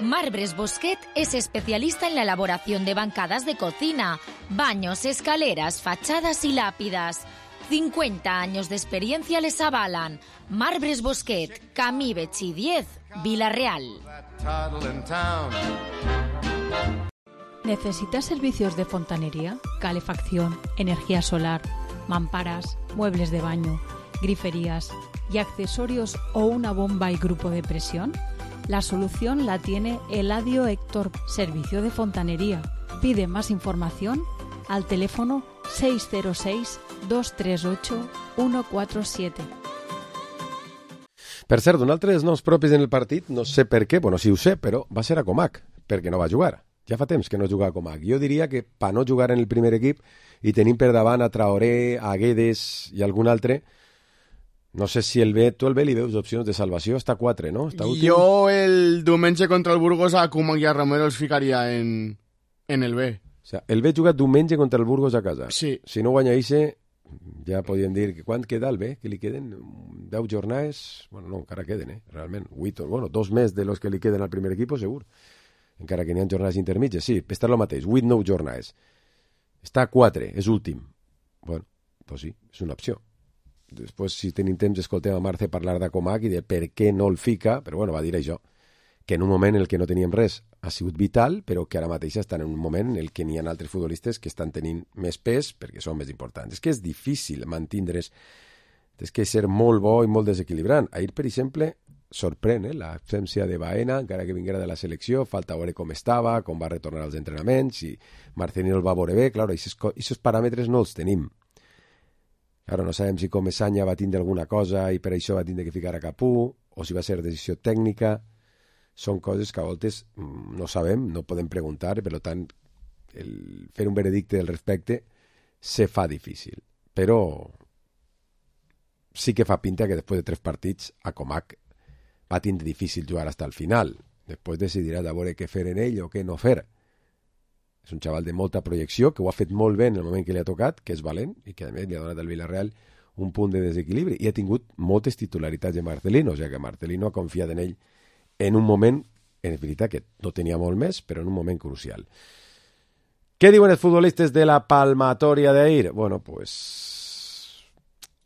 [SPEAKER 12] Marbres Bosquet es especialista en la elaboración de bancadas de cocina, baños, escaleras, fachadas y lápidas. cincuenta años de experiencia les avalan. Marbres Bosquet, Camí Betxí diez, Vilareal.
[SPEAKER 19] ¿Necesitas servicios de fontanería, calefacción, energía solar, mamparas, muebles de baño, griferías y accesorios o una bomba y grupo de presión? La solución la tiene Eladio Héctor, Servicio de Fontanería. Pide más información al teléfono seis cero seis, dos tres ocho, uno cuatro siete.
[SPEAKER 4] Per cert, un altre dels noms propis en el partit, no sé per què, bueno, sí ho sé, però va ser a Comac, perquè no va jugar. Ja fa temps que no juga a Comac. Jo diria que per no jugar en el primer equip i tenim per davant a Traoré, a Guedes i algun altre, no sé si el B, tu el B li veus opcions de salvació, està quatre, no? Està últim.
[SPEAKER 5] Jo el diumenge contra el Burgos a Koeman i a Romero els ficaria en, en el B.
[SPEAKER 4] O sea, el B juga diumenge contra el Burgos a casa.
[SPEAKER 5] Sí.
[SPEAKER 4] Si no guanya Ixe, ja podríem dir que quan queda el B, que li queden deu jornades, bueno, no, encara queden, eh, realment, vuit, bueno, dos més de los que li queden al primer equip, segur. Encara que n'hi ha jornades intermitges, sí, està el mateix, vuit, nou jornades. Està a quatre, és últim. Bueno, doncs sí, és una opció. Després, si tenim temps, escoltem a Marce parlar de Comac i de per què no el fica, però bueno, va dir això, que en un moment en el que no teníem res ha sigut vital, però que ara mateix estan en un moment en el que n'hi ha altres futbolistes que estan tenint més pes perquè són més importants. És que és difícil mantindre's, és que ser molt bo i molt desequilibrant. Ahir, per exemple, sorprèn eh, l'absència de Baena, encara que vinguera de la selecció, falta veure com estava, com va retornar als entrenaments, si Marcelino el va veure bé, clar, aquests paràmetres no els tenim. Ara no sabem si Comesaña va tindre alguna cosa i per això va tindre que ficar a Capú, o si va ser decisió tècnica. Són coses que a voltes no sabem, no podem preguntar, per tant, el fer un veredicte al respecte se fa difícil. Però sí que fa pinta que després de tres partits a Comac va tindre difícil jugar fins al final. Després decidirà de veure què fer en ell o què no fer. És un xaval de molta projecció, que ho ha fet molt bé en el moment que li ha tocat, que és valent, i que a més li ha donat al Villarreal un punt de desequilibri. I ha tingut moltes titularitats de Marcelino, o sigui que Marcelino ha confiat en ell en un moment és veritat que no tenia molt més, però en un moment crucial. Què diuen els futbolistes de la palmatòria d'ahir? Bueno, pues...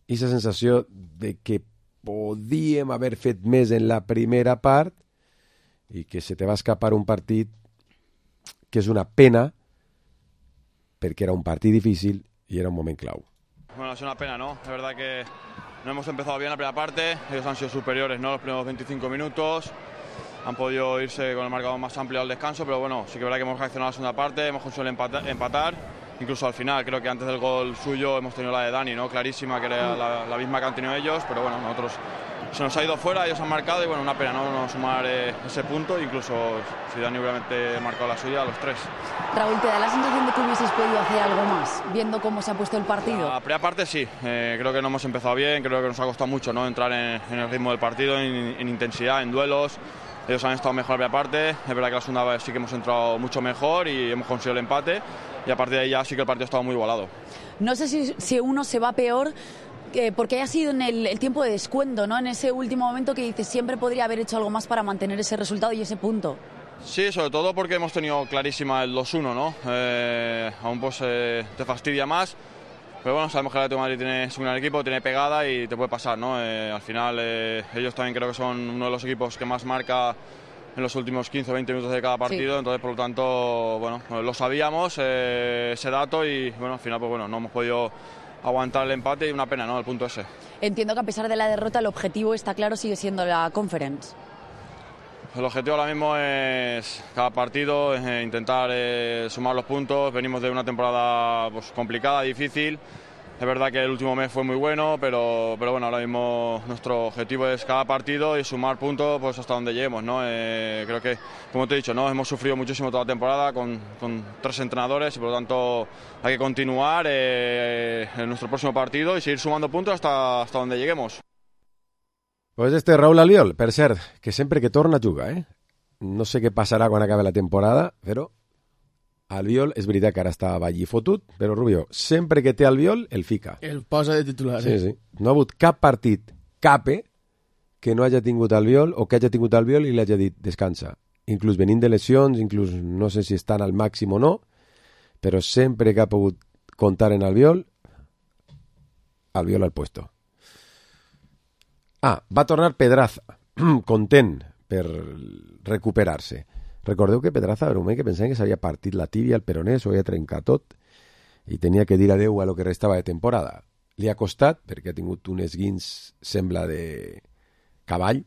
[SPEAKER 4] aquesta sensació de que podíem haver fet més en la primera part i que se te va escapar un partit que és una pena perquè era un partit difícil y era un moment clau.
[SPEAKER 21] Bueno, es una pena, ¿no? Es verdad que no hemos empezado bien la primera parte, ellos han sido superiores, ¿no? Los primeros veinticinco minutos, han podido irse con el marcador más amplio al descanso, pero bueno, sí que es verdad que hemos reaccionado a la segunda parte, hemos conseguido empatar, empatar, incluso al final, creo que antes del gol suyo hemos tenido la de Dani, ¿no? Clarísima, que era la, la misma que han tenido ellos, pero bueno, nosotros se nos ha ido fuera, ellos han marcado y bueno, una pena, ¿no? No sumar eh, ese punto, incluso si Dani hubiera marcado la suya, a los tres.
[SPEAKER 22] Raúl, ¿te da la sensación de que hubieses podido hacer algo más, viendo cómo se ha puesto el partido?
[SPEAKER 21] La primera parte sí, eh, creo que no hemos empezado bien, creo que nos ha costado mucho, ¿no? Entrar en, en el ritmo del partido, en, en intensidad, en duelos. Ellos han estado mejor en la primera parte, es verdad que la segunda vez sí que hemos entrado mucho mejor y hemos conseguido el empate y a partir de ahí ya sí que el partido ha estado muy igualado.
[SPEAKER 22] No sé si, si uno se va peor eh, porque haya sido en el, el tiempo de descuento, ¿no? En ese último momento que dices siempre podría haber hecho algo más para mantener ese resultado y ese punto.
[SPEAKER 21] Sí, sobre todo porque hemos tenido clarísima el dos uno, ¿no? Eh, aún pues eh, te fastidia más. Pero bueno, sabemos que el Atlético de Madrid tiene, es un gran equipo, tiene pegada y te puede pasar, ¿no? Eh, al final eh, ellos también creo que son uno de los equipos que más marca en los últimos quince o veinte minutos de cada partido, sí. Entonces por lo tanto, bueno, lo sabíamos, eh, ese dato y bueno, al final pues bueno, no hemos podido aguantar el empate y una pena, ¿no? El punto ese.
[SPEAKER 22] Entiendo que a pesar de la derrota el objetivo está claro, sigue siendo la Conference.
[SPEAKER 21] El objetivo ahora mismo es cada partido, eh, intentar eh, sumar los puntos. Venimos de una temporada pues, complicada, difícil. Es verdad que el último mes fue muy bueno, pero, pero bueno, ahora mismo nuestro objetivo es cada partido y sumar puntos pues, hasta donde lleguemos, ¿no? Eh, creo que, como te he dicho, ¿no? Hemos sufrido muchísimo toda la temporada con, con tres entrenadores y por lo tanto hay que continuar eh, en nuestro próximo partido y seguir sumando puntos hasta, hasta donde lleguemos.
[SPEAKER 4] Pues este Raúl Albiol, per cert, que sempre que torna juga, eh? No sé què passarà quan acabi la temporada, però Albiol, és veritat que ara està allí fotut, però Rubio, sempre que té Albiol, el fica.
[SPEAKER 5] El posa de titular.
[SPEAKER 4] Sí, sí. No ha hagut cap partit, cape, que no hagi tingut Albiol o que hagi tingut Albiol i li hagi dit descansa. Inclús venint de lesions, inclús no sé si estan al màxim o no, però sempre que ha pogut comptar en Albiol, Albiol al puesto. Ah, va tornar Pedraza, content per recuperar-se. Recordeu que Pedraza era un moment que pensaven que s'havia partit la tíbia, el peroné, s'ho havia trencat tot i tenia que dir adeu a lo que restava de temporada. Li ha costat, perquè ha tingut un esguins, sembla, de cavall,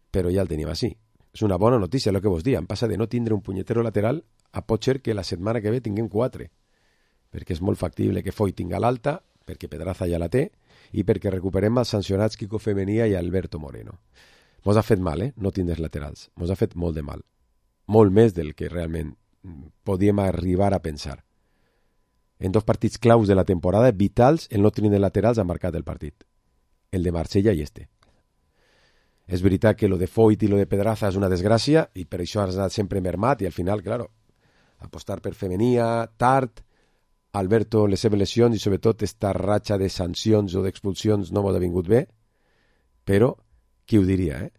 [SPEAKER 4] però ja el tenim així. És una bona notícia, el que vos diem. Passa de no tindre un punyetero lateral a pot ser que la setmana que ve tinguem quatre, perquè és molt factible que Foy tinga l'alta, perquè Pedraza ja la té, i perquè recuperem els sancionats Quico Femenia i Alberto Moreno. Mos ha fet mal, eh? No tindre laterals. Mos ha fet molt de mal. Molt més del que realment podíem arribar a pensar. En dos partits claus de la temporada, vitals, el no tindre laterals ha marcat el partit. El de Marsella i este. És veritat que lo de Foyt i lo de Pedraza és una desgràcia i per això has anat sempre mermat i al final, claro, apostar per Femenia, tard, Alberto, les seves lesions i sobretot esta ratxa de sancions o d'expulsions no m'ho ha vingut bé, però qui ho diria, eh?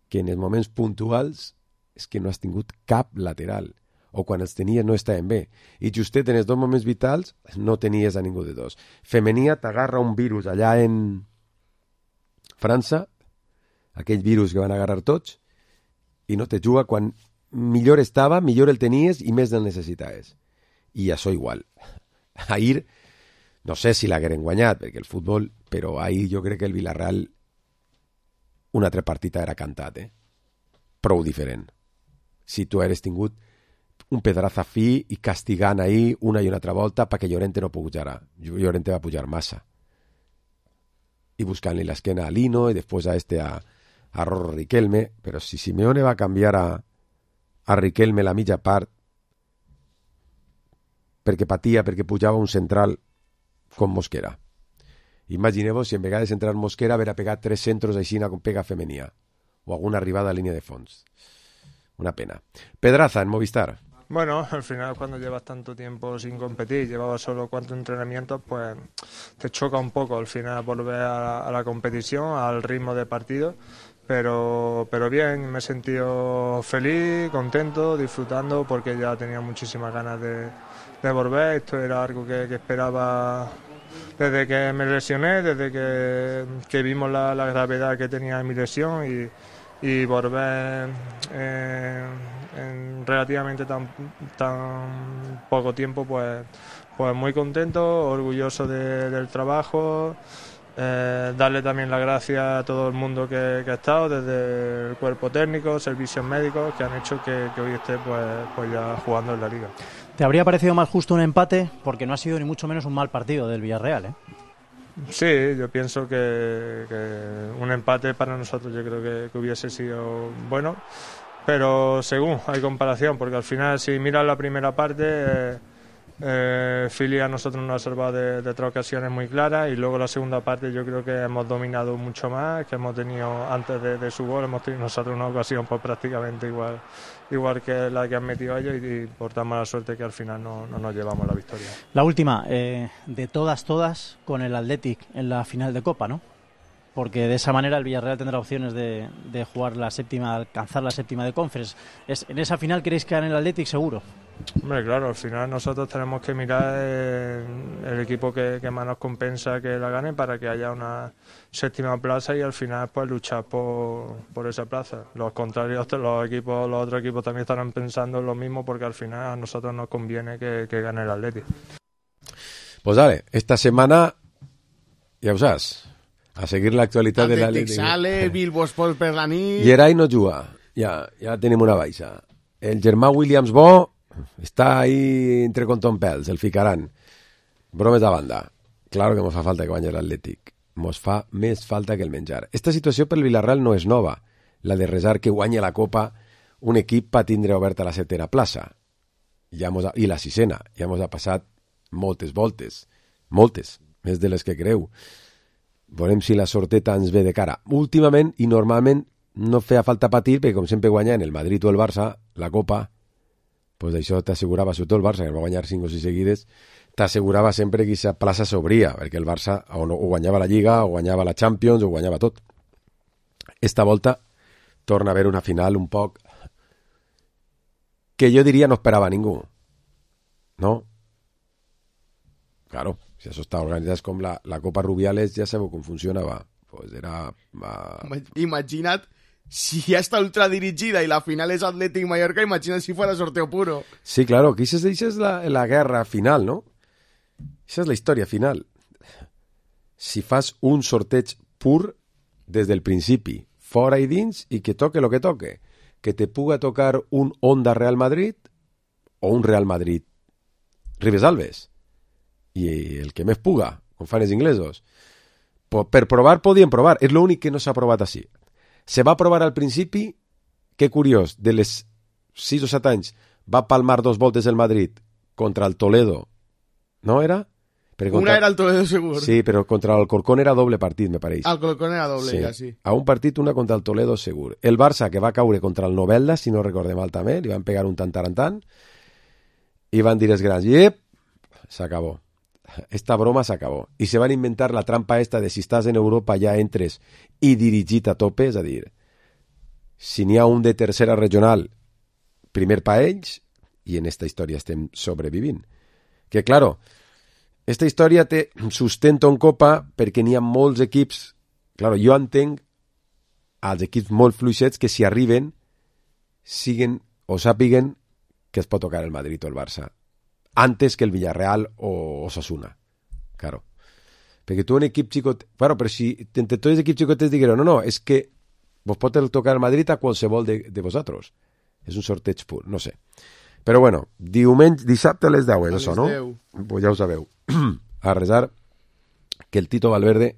[SPEAKER 4] Que en els moments puntuals és que no has tingut cap lateral o quan els tenies no estaven bé i justet en els dos moments vitals no tenies a ningú de dos. Femenia t'agarra un virus allà en França, aquell virus que van agarrar tots i no te juga quan millor estava, millor el tenies i més el necessitaves. I això igual. Ahir, no sé si l'hagueren guanyat, perquè el futbol, però ahir jo crec que el Villarreal un altre partit era cantat, eh? Prou diferent. Si tu hagués tingut un Pedraza fi i castigant ahir una i una altra volta perquè Llorente no pujara. Llorente va pujar massa. I buscant-li l'esquena a Lino i després a este a, a Rorro Riquelme, però si Simeone va canviar a, a Riquelme la mitja part perquè patia, perquè pujava un central com Mosquera. Imagineu-vos si en vegades entrar Mosquera haver pegat tres centros així com pega Femenia o alguna arribada a línia de fons. Una pena. Pedraza en Movistar.
[SPEAKER 23] Bueno, al final cuando llevas tanto tiempo sin competir, llevabas solo cuatro entrenamientos, pues te choca un poco al final volver a la, a la competición, al ritmo de partido. pero, pero bien, me he sentido feliz, contento, disfrutando, porque ya tenía muchísimas ganas de, de volver. Esto era algo que, que esperaba desde que me lesioné, desde que, que vimos la, la gravedad que tenía en mi lesión, y, y volver eh, en relativamente tan, tan poco tiempo, pues, pues muy contento, orgulloso de, del trabajo. Eh, darle también las gracias a todo el mundo que, que ha estado, desde el cuerpo técnico, servicios médicos, que han hecho que, que hoy esté pues, pues ya jugando en la Liga.
[SPEAKER 1] ¿Te habría parecido más justo un empate? Porque no ha sido ni mucho menos un mal partido del Villarreal, ¿eh?
[SPEAKER 23] Sí, yo pienso que, que un empate para nosotros yo creo que, que hubiese sido bueno, pero según hay comparación, porque al final si miras la primera parte... Eh, Eh, Philly a nosotros nos ha salvado de, de tres ocasiones muy claras, y luego la segunda parte yo creo que hemos dominado mucho más, que hemos tenido antes de, de su gol, hemos tenido nosotros una ocasión pues prácticamente igual igual que la que han metido ellos, y, y por tan mala suerte que al final no, no nos llevamos la victoria.
[SPEAKER 1] La última, eh, de todas todas, con el Athletic en la final de Copa, ¿no? Porque de esa manera el Villarreal tendrá opciones de, de jugar la séptima, alcanzar la séptima de Conference. ¿Es, en esa final queréis quedar en el Athletic seguro?
[SPEAKER 23] Hombre, claro, al final nosotros tenemos que mirar el, el equipo que, que más nos compensa que la gane, para que haya una séptima plaza, y al final pues luchar por, por esa plaza. Los contrarios, los equipos, los otros equipos también estarán pensando en lo mismo, porque al final a nosotros nos conviene que, que gane el Athletic.
[SPEAKER 4] Pues dale, esta semana ja ho saps, a seguir l'actualitat de l'Atlètic.
[SPEAKER 5] Sale, Bilbo Sport per la nit...
[SPEAKER 4] Geray no juga, ja, ja tenim una baixa. El germà Williams Bo està ahí entre contompels, el ficaran. Bromes a banda. Claro que mos fa falta que guanyi l'Atlètic. Mos fa més falta que el menjar. Esta situació pel Villarreal no és nova, la de resar que guanyi la Copa un equip pa tindre oberta la setena plaça. Ja mos ha, i la sisena. Ja mos ha passat moltes voltes. Moltes, més de les que creu. Veurem si la sorteta ens ve de cara. Últimament i normalment no feia falta patir, perquè com sempre guanyant el Madrid o el Barça, la Copa, pues això t'assegurava, sobretot el Barça, que va guanyar cinc o sis seguides, t'assegurava sempre que aquesta plaça s'obria, perquè el Barça o, no, o guanyava la Lliga, o guanyava la Champions, o guanyava tot. Esta volta torna a haver una final un poc que jo diria no esperava ningú. No? Claro. Si això està organitzat com la, la Copa Rubiales, ja sabeu com funcionava. Pues era... Uh...
[SPEAKER 5] Imagina't, si ja està ultradirigida i la final és Atlètic Mallorca, imagina't si fuera sorteo puro.
[SPEAKER 4] Sí, claro, que això és la, la guerra final, no? Això és la història final. Si fas un sorteig pur des del principi, fora i dins, i que toque lo que toque. Que te puga tocar un Onda Real Madrid o un Real Madrid Ribes Alves. I el que més puga, com fan els inglesos. Per provar podien provar, és l'únic que no s'ha provat així. Se va provar al principi, que curiós, de les sis o set anys va palmar dos voltes el Madrid contra el Toledo, no era?
[SPEAKER 5] Contra... Una era el Toledo segur.
[SPEAKER 4] Sí, però contra el Corcón era doble partit, me pareix.
[SPEAKER 5] El Corcón era doble,
[SPEAKER 4] sí.
[SPEAKER 5] Ja, sí.
[SPEAKER 4] A un partit, una contra el Toledo segur. El Barça, que va caure contra el Novelda, si no recordem mal també, li van pegar un tantarantant, i van dir els grans, yep, s'acabó. Esta broma s'acabó. I se van inventar la trampa esta de si estàs en Europa ja entres i dirigit a tope, és a dir, si n'hi ha un de tercera regional, primer pa ells, i en esta història estem sobrevivint. Que, claro, esta història té sustento en Copa perquè n'hi ha molts equips, claro, jo entenc als equips molt fluixets que si arriben siguen o sàpiguen que es pot tocar el Madrid o el Barça antes que el Villarreal o Osasuna. Claro. Perquè tu un equip xicot... Claro, però si entre tots els equips xicotets digueren no, no, és que vos pot tocar el Madrid a qualsevol de, de vosaltres. És un sorteig pur, no sé. Però bueno, diumenge, dissabte a les deu, és això, no? Pues ja ho sabeu. A resar que el Tito Valverde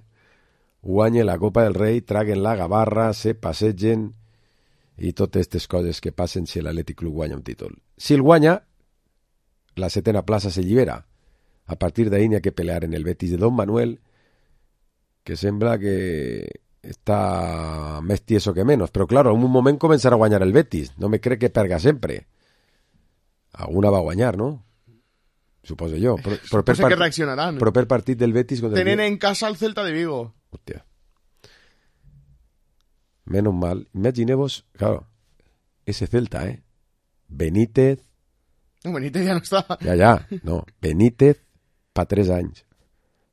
[SPEAKER 4] guanye la Copa del Rei, traguen la gavarra, se passegen i totes aquestes coses que passen si l'Atlètic Club guanya un títol. Si el guanya, la setena plaça se llibera. A partir d'ahí n'hi ha que pelear en el Betis de Don Manuel, que sembla que està més tieso que menos. Però, claro, en un moment començarà a guanyar el Betis. No me crec que perga sempre. Alguna va guanyar, no? Suposo jo. Però, però per
[SPEAKER 5] part... que reaccionaran.
[SPEAKER 4] Però per partit del Betis...
[SPEAKER 5] Tenen en casa el Celta de Vigo.
[SPEAKER 4] Hòstia. menos mal. Imagineu-vos, claro, ese Celta, eh? Benítez...
[SPEAKER 5] No, Benítez ja no està.
[SPEAKER 4] Ja, ja, no. Benítez pa tres anys.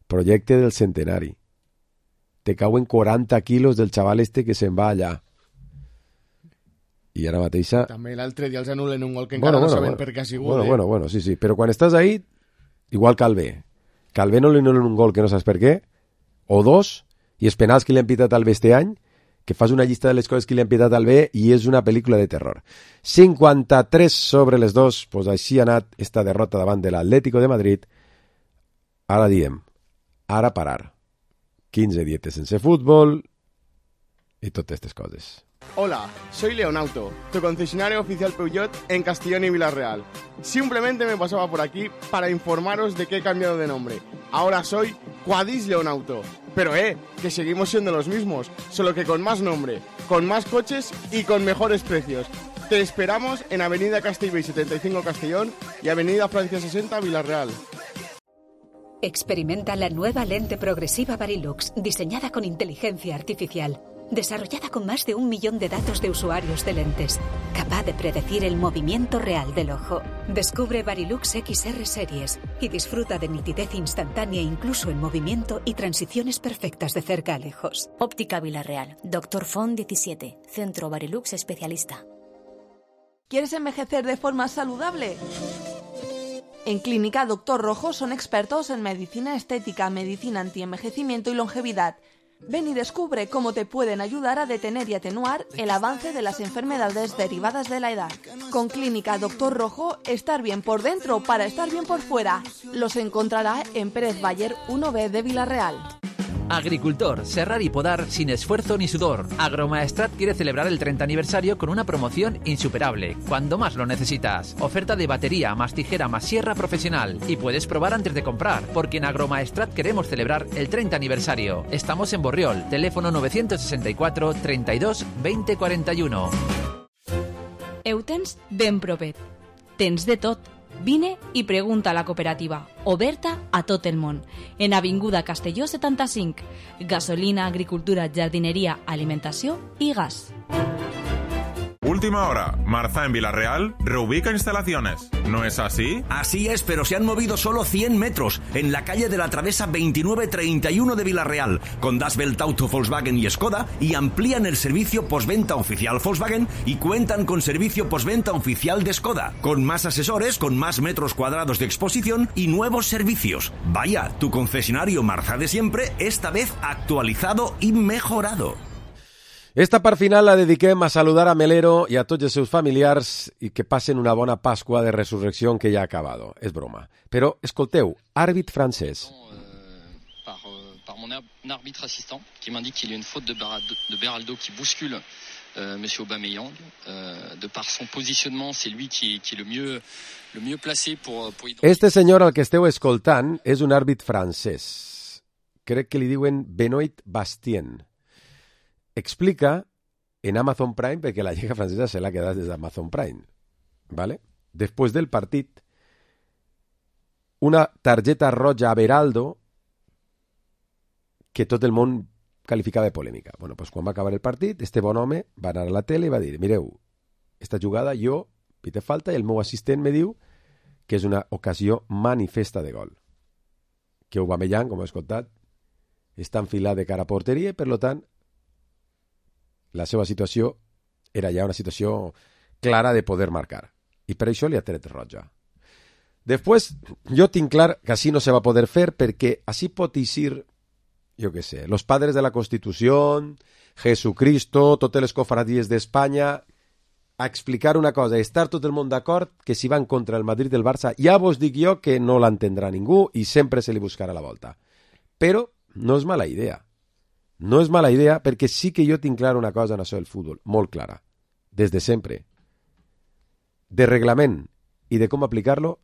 [SPEAKER 4] Projecte del centenari. Te cauen quaranta quilos del xaval este que se'n va allà. I ara mateixa...
[SPEAKER 5] També l'altre dia els anulen un gol que encara
[SPEAKER 4] bueno,
[SPEAKER 5] no
[SPEAKER 4] bueno,
[SPEAKER 5] sabem
[SPEAKER 4] bueno.
[SPEAKER 5] per què ha sigut.
[SPEAKER 4] Bueno,
[SPEAKER 5] eh?
[SPEAKER 4] bueno, bueno, sí, sí. Però quan estàs ahí, igual Calvé. Calvé no li anulen un gol que no saps per què, o dos, i els penals que li han pitat al bé este any, que fas una llista de les coses que li han pitat al bé i és una pel·lícula de terror. cinquanta-tres sobre les dos, pues així ha anat esta derrota davant de l'Atlético de Madrid. Ara diem, ara parar. quinze dietes sense fútbol y todas estas cosas.
[SPEAKER 5] Hola, soy Leonauto, tu concesionario oficial Peugeot en Castellón y Villarreal. Simplemente me pasaba por aquí para informaros de que he cambiado de nombre. Ahora soy Quadis Leonauto. Pero eh, que seguimos siendo los mismos, solo que con más nombre, con más coches y con mejores precios. Te esperamos en Avenida Castellbell setenta y cinco Castellón y Avenida Francia sesenta Villarreal.
[SPEAKER 2] Experimenta la nueva lente progresiva Varilux, diseñada con inteligencia artificial, desarrollada con más de un millón de datos de usuarios de lentes, capaz de predecir el movimiento real del ojo. Descubre Varilux X R Series y disfruta de nitidez instantánea incluso en movimiento y transiciones perfectas de cerca a lejos.
[SPEAKER 12] Óptica Villarreal, Doctor Font diecisiete, Centro Varilux Especialista.
[SPEAKER 14] ¿Quieres envejecer de forma saludable? En Clínica Doctor Rojo son expertos en medicina estética, medicina antienvejecimiento y longevidad. Ven y descubre cómo te pueden ayudar a detener y atenuar el avance de las enfermedades derivadas de la edad. Con Clínica Doctor Rojo, estar bien por dentro para estar bien por fuera. Los encontrará en Pérez Bayer uno B de Villarreal.
[SPEAKER 3] Agricultor, serrar y podar sin esfuerzo ni sudor. Agromaestrat quiere celebrar el treinta aniversario con una promoción insuperable, cuando más lo necesitas. Oferta de batería, más tijera, más sierra profesional. Y puedes probar antes de comprar, porque en Agromaestrat queremos celebrar el treinta aniversario. Estamos en Borriol, teléfono novecientos sesenta y cuatro, treinta y dos, veinte cuarenta y uno.
[SPEAKER 18] Heu tens ben propet. Tens de tot. Vine i pregunta a la cooperativa, oberta a tot el món, en Avinguda Castelló setanta-cinc. Gasolina, agricultura, jardineria, alimentació i gas.
[SPEAKER 8] Última hora, Marza en Villarreal reubica instalaciones. ¿No es así?
[SPEAKER 24] Así es, pero se han movido solo cien metros en la calle de la Travesa veintinueve treinta y uno de Villarreal, con Das Welt Auto, Volkswagen y Skoda, y amplían el servicio postventa oficial Volkswagen y cuentan con servicio postventa oficial de Skoda, con más asesores, con más metros cuadrados de exposición y nuevos servicios. Vaya, tu concesionario Marza de siempre, esta vez actualizado y mejorado.
[SPEAKER 4] Esta part final la dediquem a saludar a Melero i a tots els seus familiars i que passen una bona Pasqua de resurrecció que ja ha acabat. És broma. Però, escolteu, àrbit francès.
[SPEAKER 25] Par, euh, par mon arbitre assistant, qui m'indique qu'il y a une faute de, Beraldo, de Beraldo qui bouscule euh, M. Aubameyang. Euh, de par son positionnement, c'est lui qui, qui est le mieux, le mieux placé pour, pour identifier...
[SPEAKER 4] Este senyor al que esteu escoltant és un àrbit francès. Crec que li diuen Benoit Bastien. Explica en Amazon Prime, perquè la Lliga Francesa se l'ha quedat des d'Amazon Prime, ¿vale? Després del partit, una targeta roja a Beraldo que tot el món qualificava de polèmica. Bueno, pues quan va acabar el partit, este bon home va anar a la tele i va dir, mireu, esta jugada jo pite falta i el meu assistent me diu que és una ocasió manifesta de gol. Que Aubameyang, com he escoltat, està enfilat de cara a porteria i, per tant, la seva situació era ja una situació clara de poder marcar. I per això li ha tret roja. Després, jo tinc clar que així no se va poder fer perquè així pot eixir, jo què sé, los padres de la Constitució, Jesucristo, totes les cofradies d'Espanya, a explicar una cosa, estar tot el món d'acord que si van contra el Madrid del Barça, ja vos dic jo que no l'entendrà ningú i sempre se li buscarà la volta. Però no és mala idea. No és mala idea perquè sí que jo tinc clar una cosa en això del futbol, molt clara, des de sempre. De reglament i de com aplicar-lo,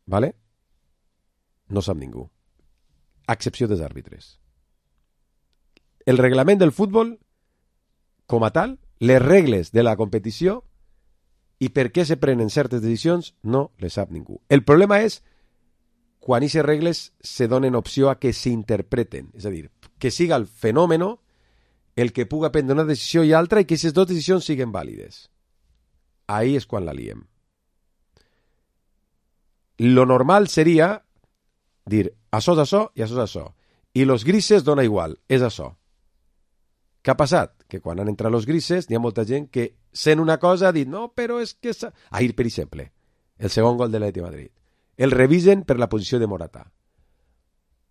[SPEAKER 4] ¿vale? No sap ningú. A excepció dels àrbitres. El reglament del futbol, com a tal, les regles de la competició i per què se prenen certes decisions, no les sap ningú. El problema és quan aquestes regles se donen opció a que s'interpreten, és a dir, que siga el fenòmeno el que puga prendre una decisió i altra i que aquestes dues decisions siguin vàlides. Ahí és quan la liem. Lo normal seria dir, això és això i això és això. I los grises dona igual, és això. Què ha passat? Que quan han entrat los grises n'hi ha molta gent que sent una cosa ha dit, no, però és que... Ahir, per exemple, el segon gol de l'Atlètic de Madrid. El revisen per la posició de Morata.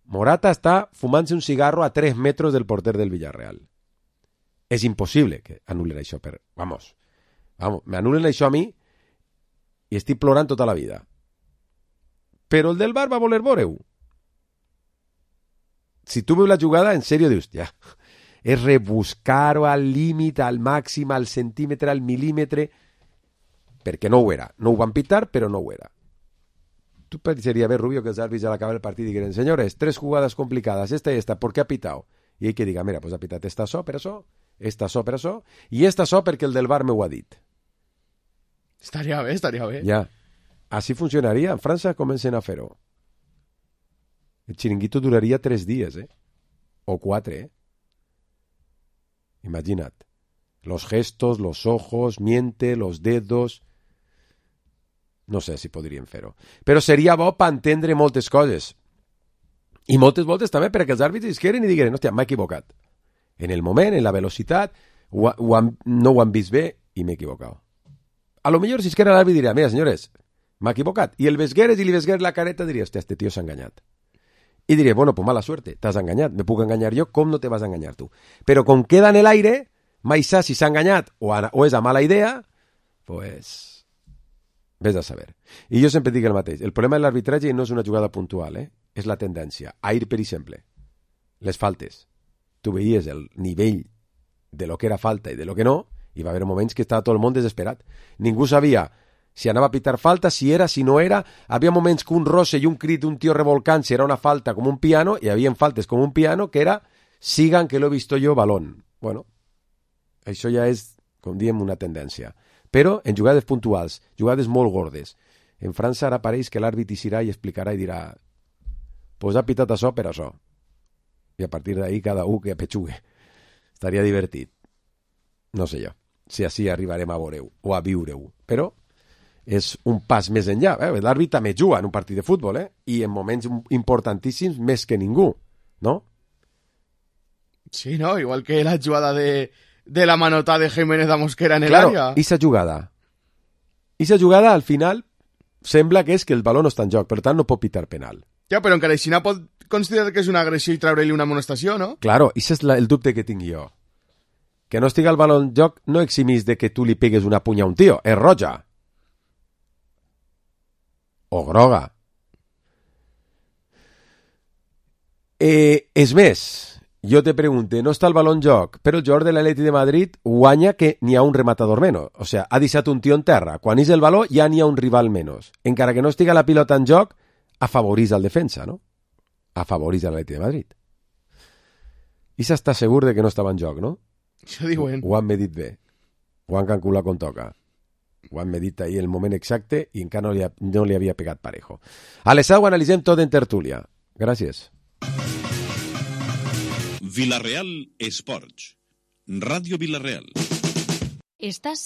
[SPEAKER 4] Morata està fumant-se un cigarro a tres metres del porter del Villarreal. És impossible que anulen això per... Vamos, vamos, me anulen això a mi i estic plorant tota la vida. Però el del bar va voler veure-ho. Si tu veus la jugada, en sèrio dius, ja, és rebuscar-ho al límit, al màxim, al centímetre, al milímetre, perquè no ho era. No ho van pitar, però no ho era. Tu pensaria bé, Rubio, que els àrbits al acabar el partit digueren, senyores, tres jugades complicadas, esta y esta, ¿por qué ha pitado? I ell que diga, mira, pues ha pitat esta so per això, esta so per això, i esta so perquè el del bar m'ho ha dit.
[SPEAKER 5] Estaria bé, estaria bé.
[SPEAKER 4] Ja. Així funcionaria. En França comencen a fer-ho. El xiringuito duraria tres dies, eh? O quatre, eh? Imagina't. Los gestos, los ojos, miente, los dedos... No sé si podrien fer-ho. Però seria bo per entendre moltes coses. I moltes voltes també perquè els àrbitres isqueren i digueren, hòstia, m'he equivocat. En el moment, en la velocitat, ho, ho han, no ho han vist bé i m'he equivocat. A lo millor si isquera l'àrbit diria, mira, senyores, m'ha equivocat. I el vesgueres i li vesgueres la careta diria, hòstia, este tio s'ha enganyat. I diria, bueno, pues mala suerte, t'has enganyat, me puc enganyar jo, com no te vas a enganyar tu? Però com queda en l'aire, mai saps si s'ha enganyat o, a, o és a mala idea, pues... Ves a saber. I jo sempre dic el mateix. El problema de l'arbitratge no és una jugada puntual, eh? És la tendència. Ahir, per exemple, les faltes. Tu veies el nivell de lo que era falta i de lo que no, i va haver moments que estava tot el món desesperat. Ningú sabia si anava a pitar falta, si era, si no era. Havia moments que un roce i un crit d'un tio revolcant-se era una falta com un piano, i havia faltes com un piano que era sigan que lo he visto yo, balón. Bueno, això ja és, com diem, una tendència. Però en jugades puntuals, jugades molt gordes. En França ara pareix que l'àrbit hi serà i explicarà i dirà pues ha pitat això per això. I a partir d'ahí cada un que apetxugue. Estaria divertit. No sé jo, si així arribarem a veure-ho o a viure-ho. Però és un pas més enllà. Eh? L'àrbit també juga en un partit de futbol, eh? I en moments importantíssims més que ningú, no?
[SPEAKER 5] Sí, no? Igual que la jugada de... de la manota de Jiménez a Mosquera en el
[SPEAKER 4] claro,
[SPEAKER 5] área.
[SPEAKER 4] Claro, esa jugada. Esa jugada, al final, sembla que és que el baló no està en joc, per tant no pot pitar penal.
[SPEAKER 5] Ja, però encara així no pot considerar que és una agressió i treure-li una amonestació, no?
[SPEAKER 4] Claro, ese és la, el dubte que tinc jo. Que no estiga el baló en joc no eximís de que tu li pegues una punya a un tio. És roja. O groga. Eh, és més... Jo te pregunte, no està el baló en joc, però el jugador de l'Atlètic de Madrid guanya que n'hi ha un rematador menys. O sigui, ha deixat un tio en terra. Quan és el baló ja n'hi ha un rival menys. Encara que no estiga la pilota en joc, afavorís el defensa, no? Afavorís l'Atlètic de Madrid. I s'està segur de que no estava en joc, no?
[SPEAKER 5] Això diuen.
[SPEAKER 4] Ho han medit bé. Ho han calculat com toca. Ho han medit ahir el moment exacte i encara no li, ha, no li havia pegat parejo. A les sau analitzem tot en tertúlia. Gràcies.
[SPEAKER 20] Villarreal Sports. Radio Villarreal.
[SPEAKER 12] Estás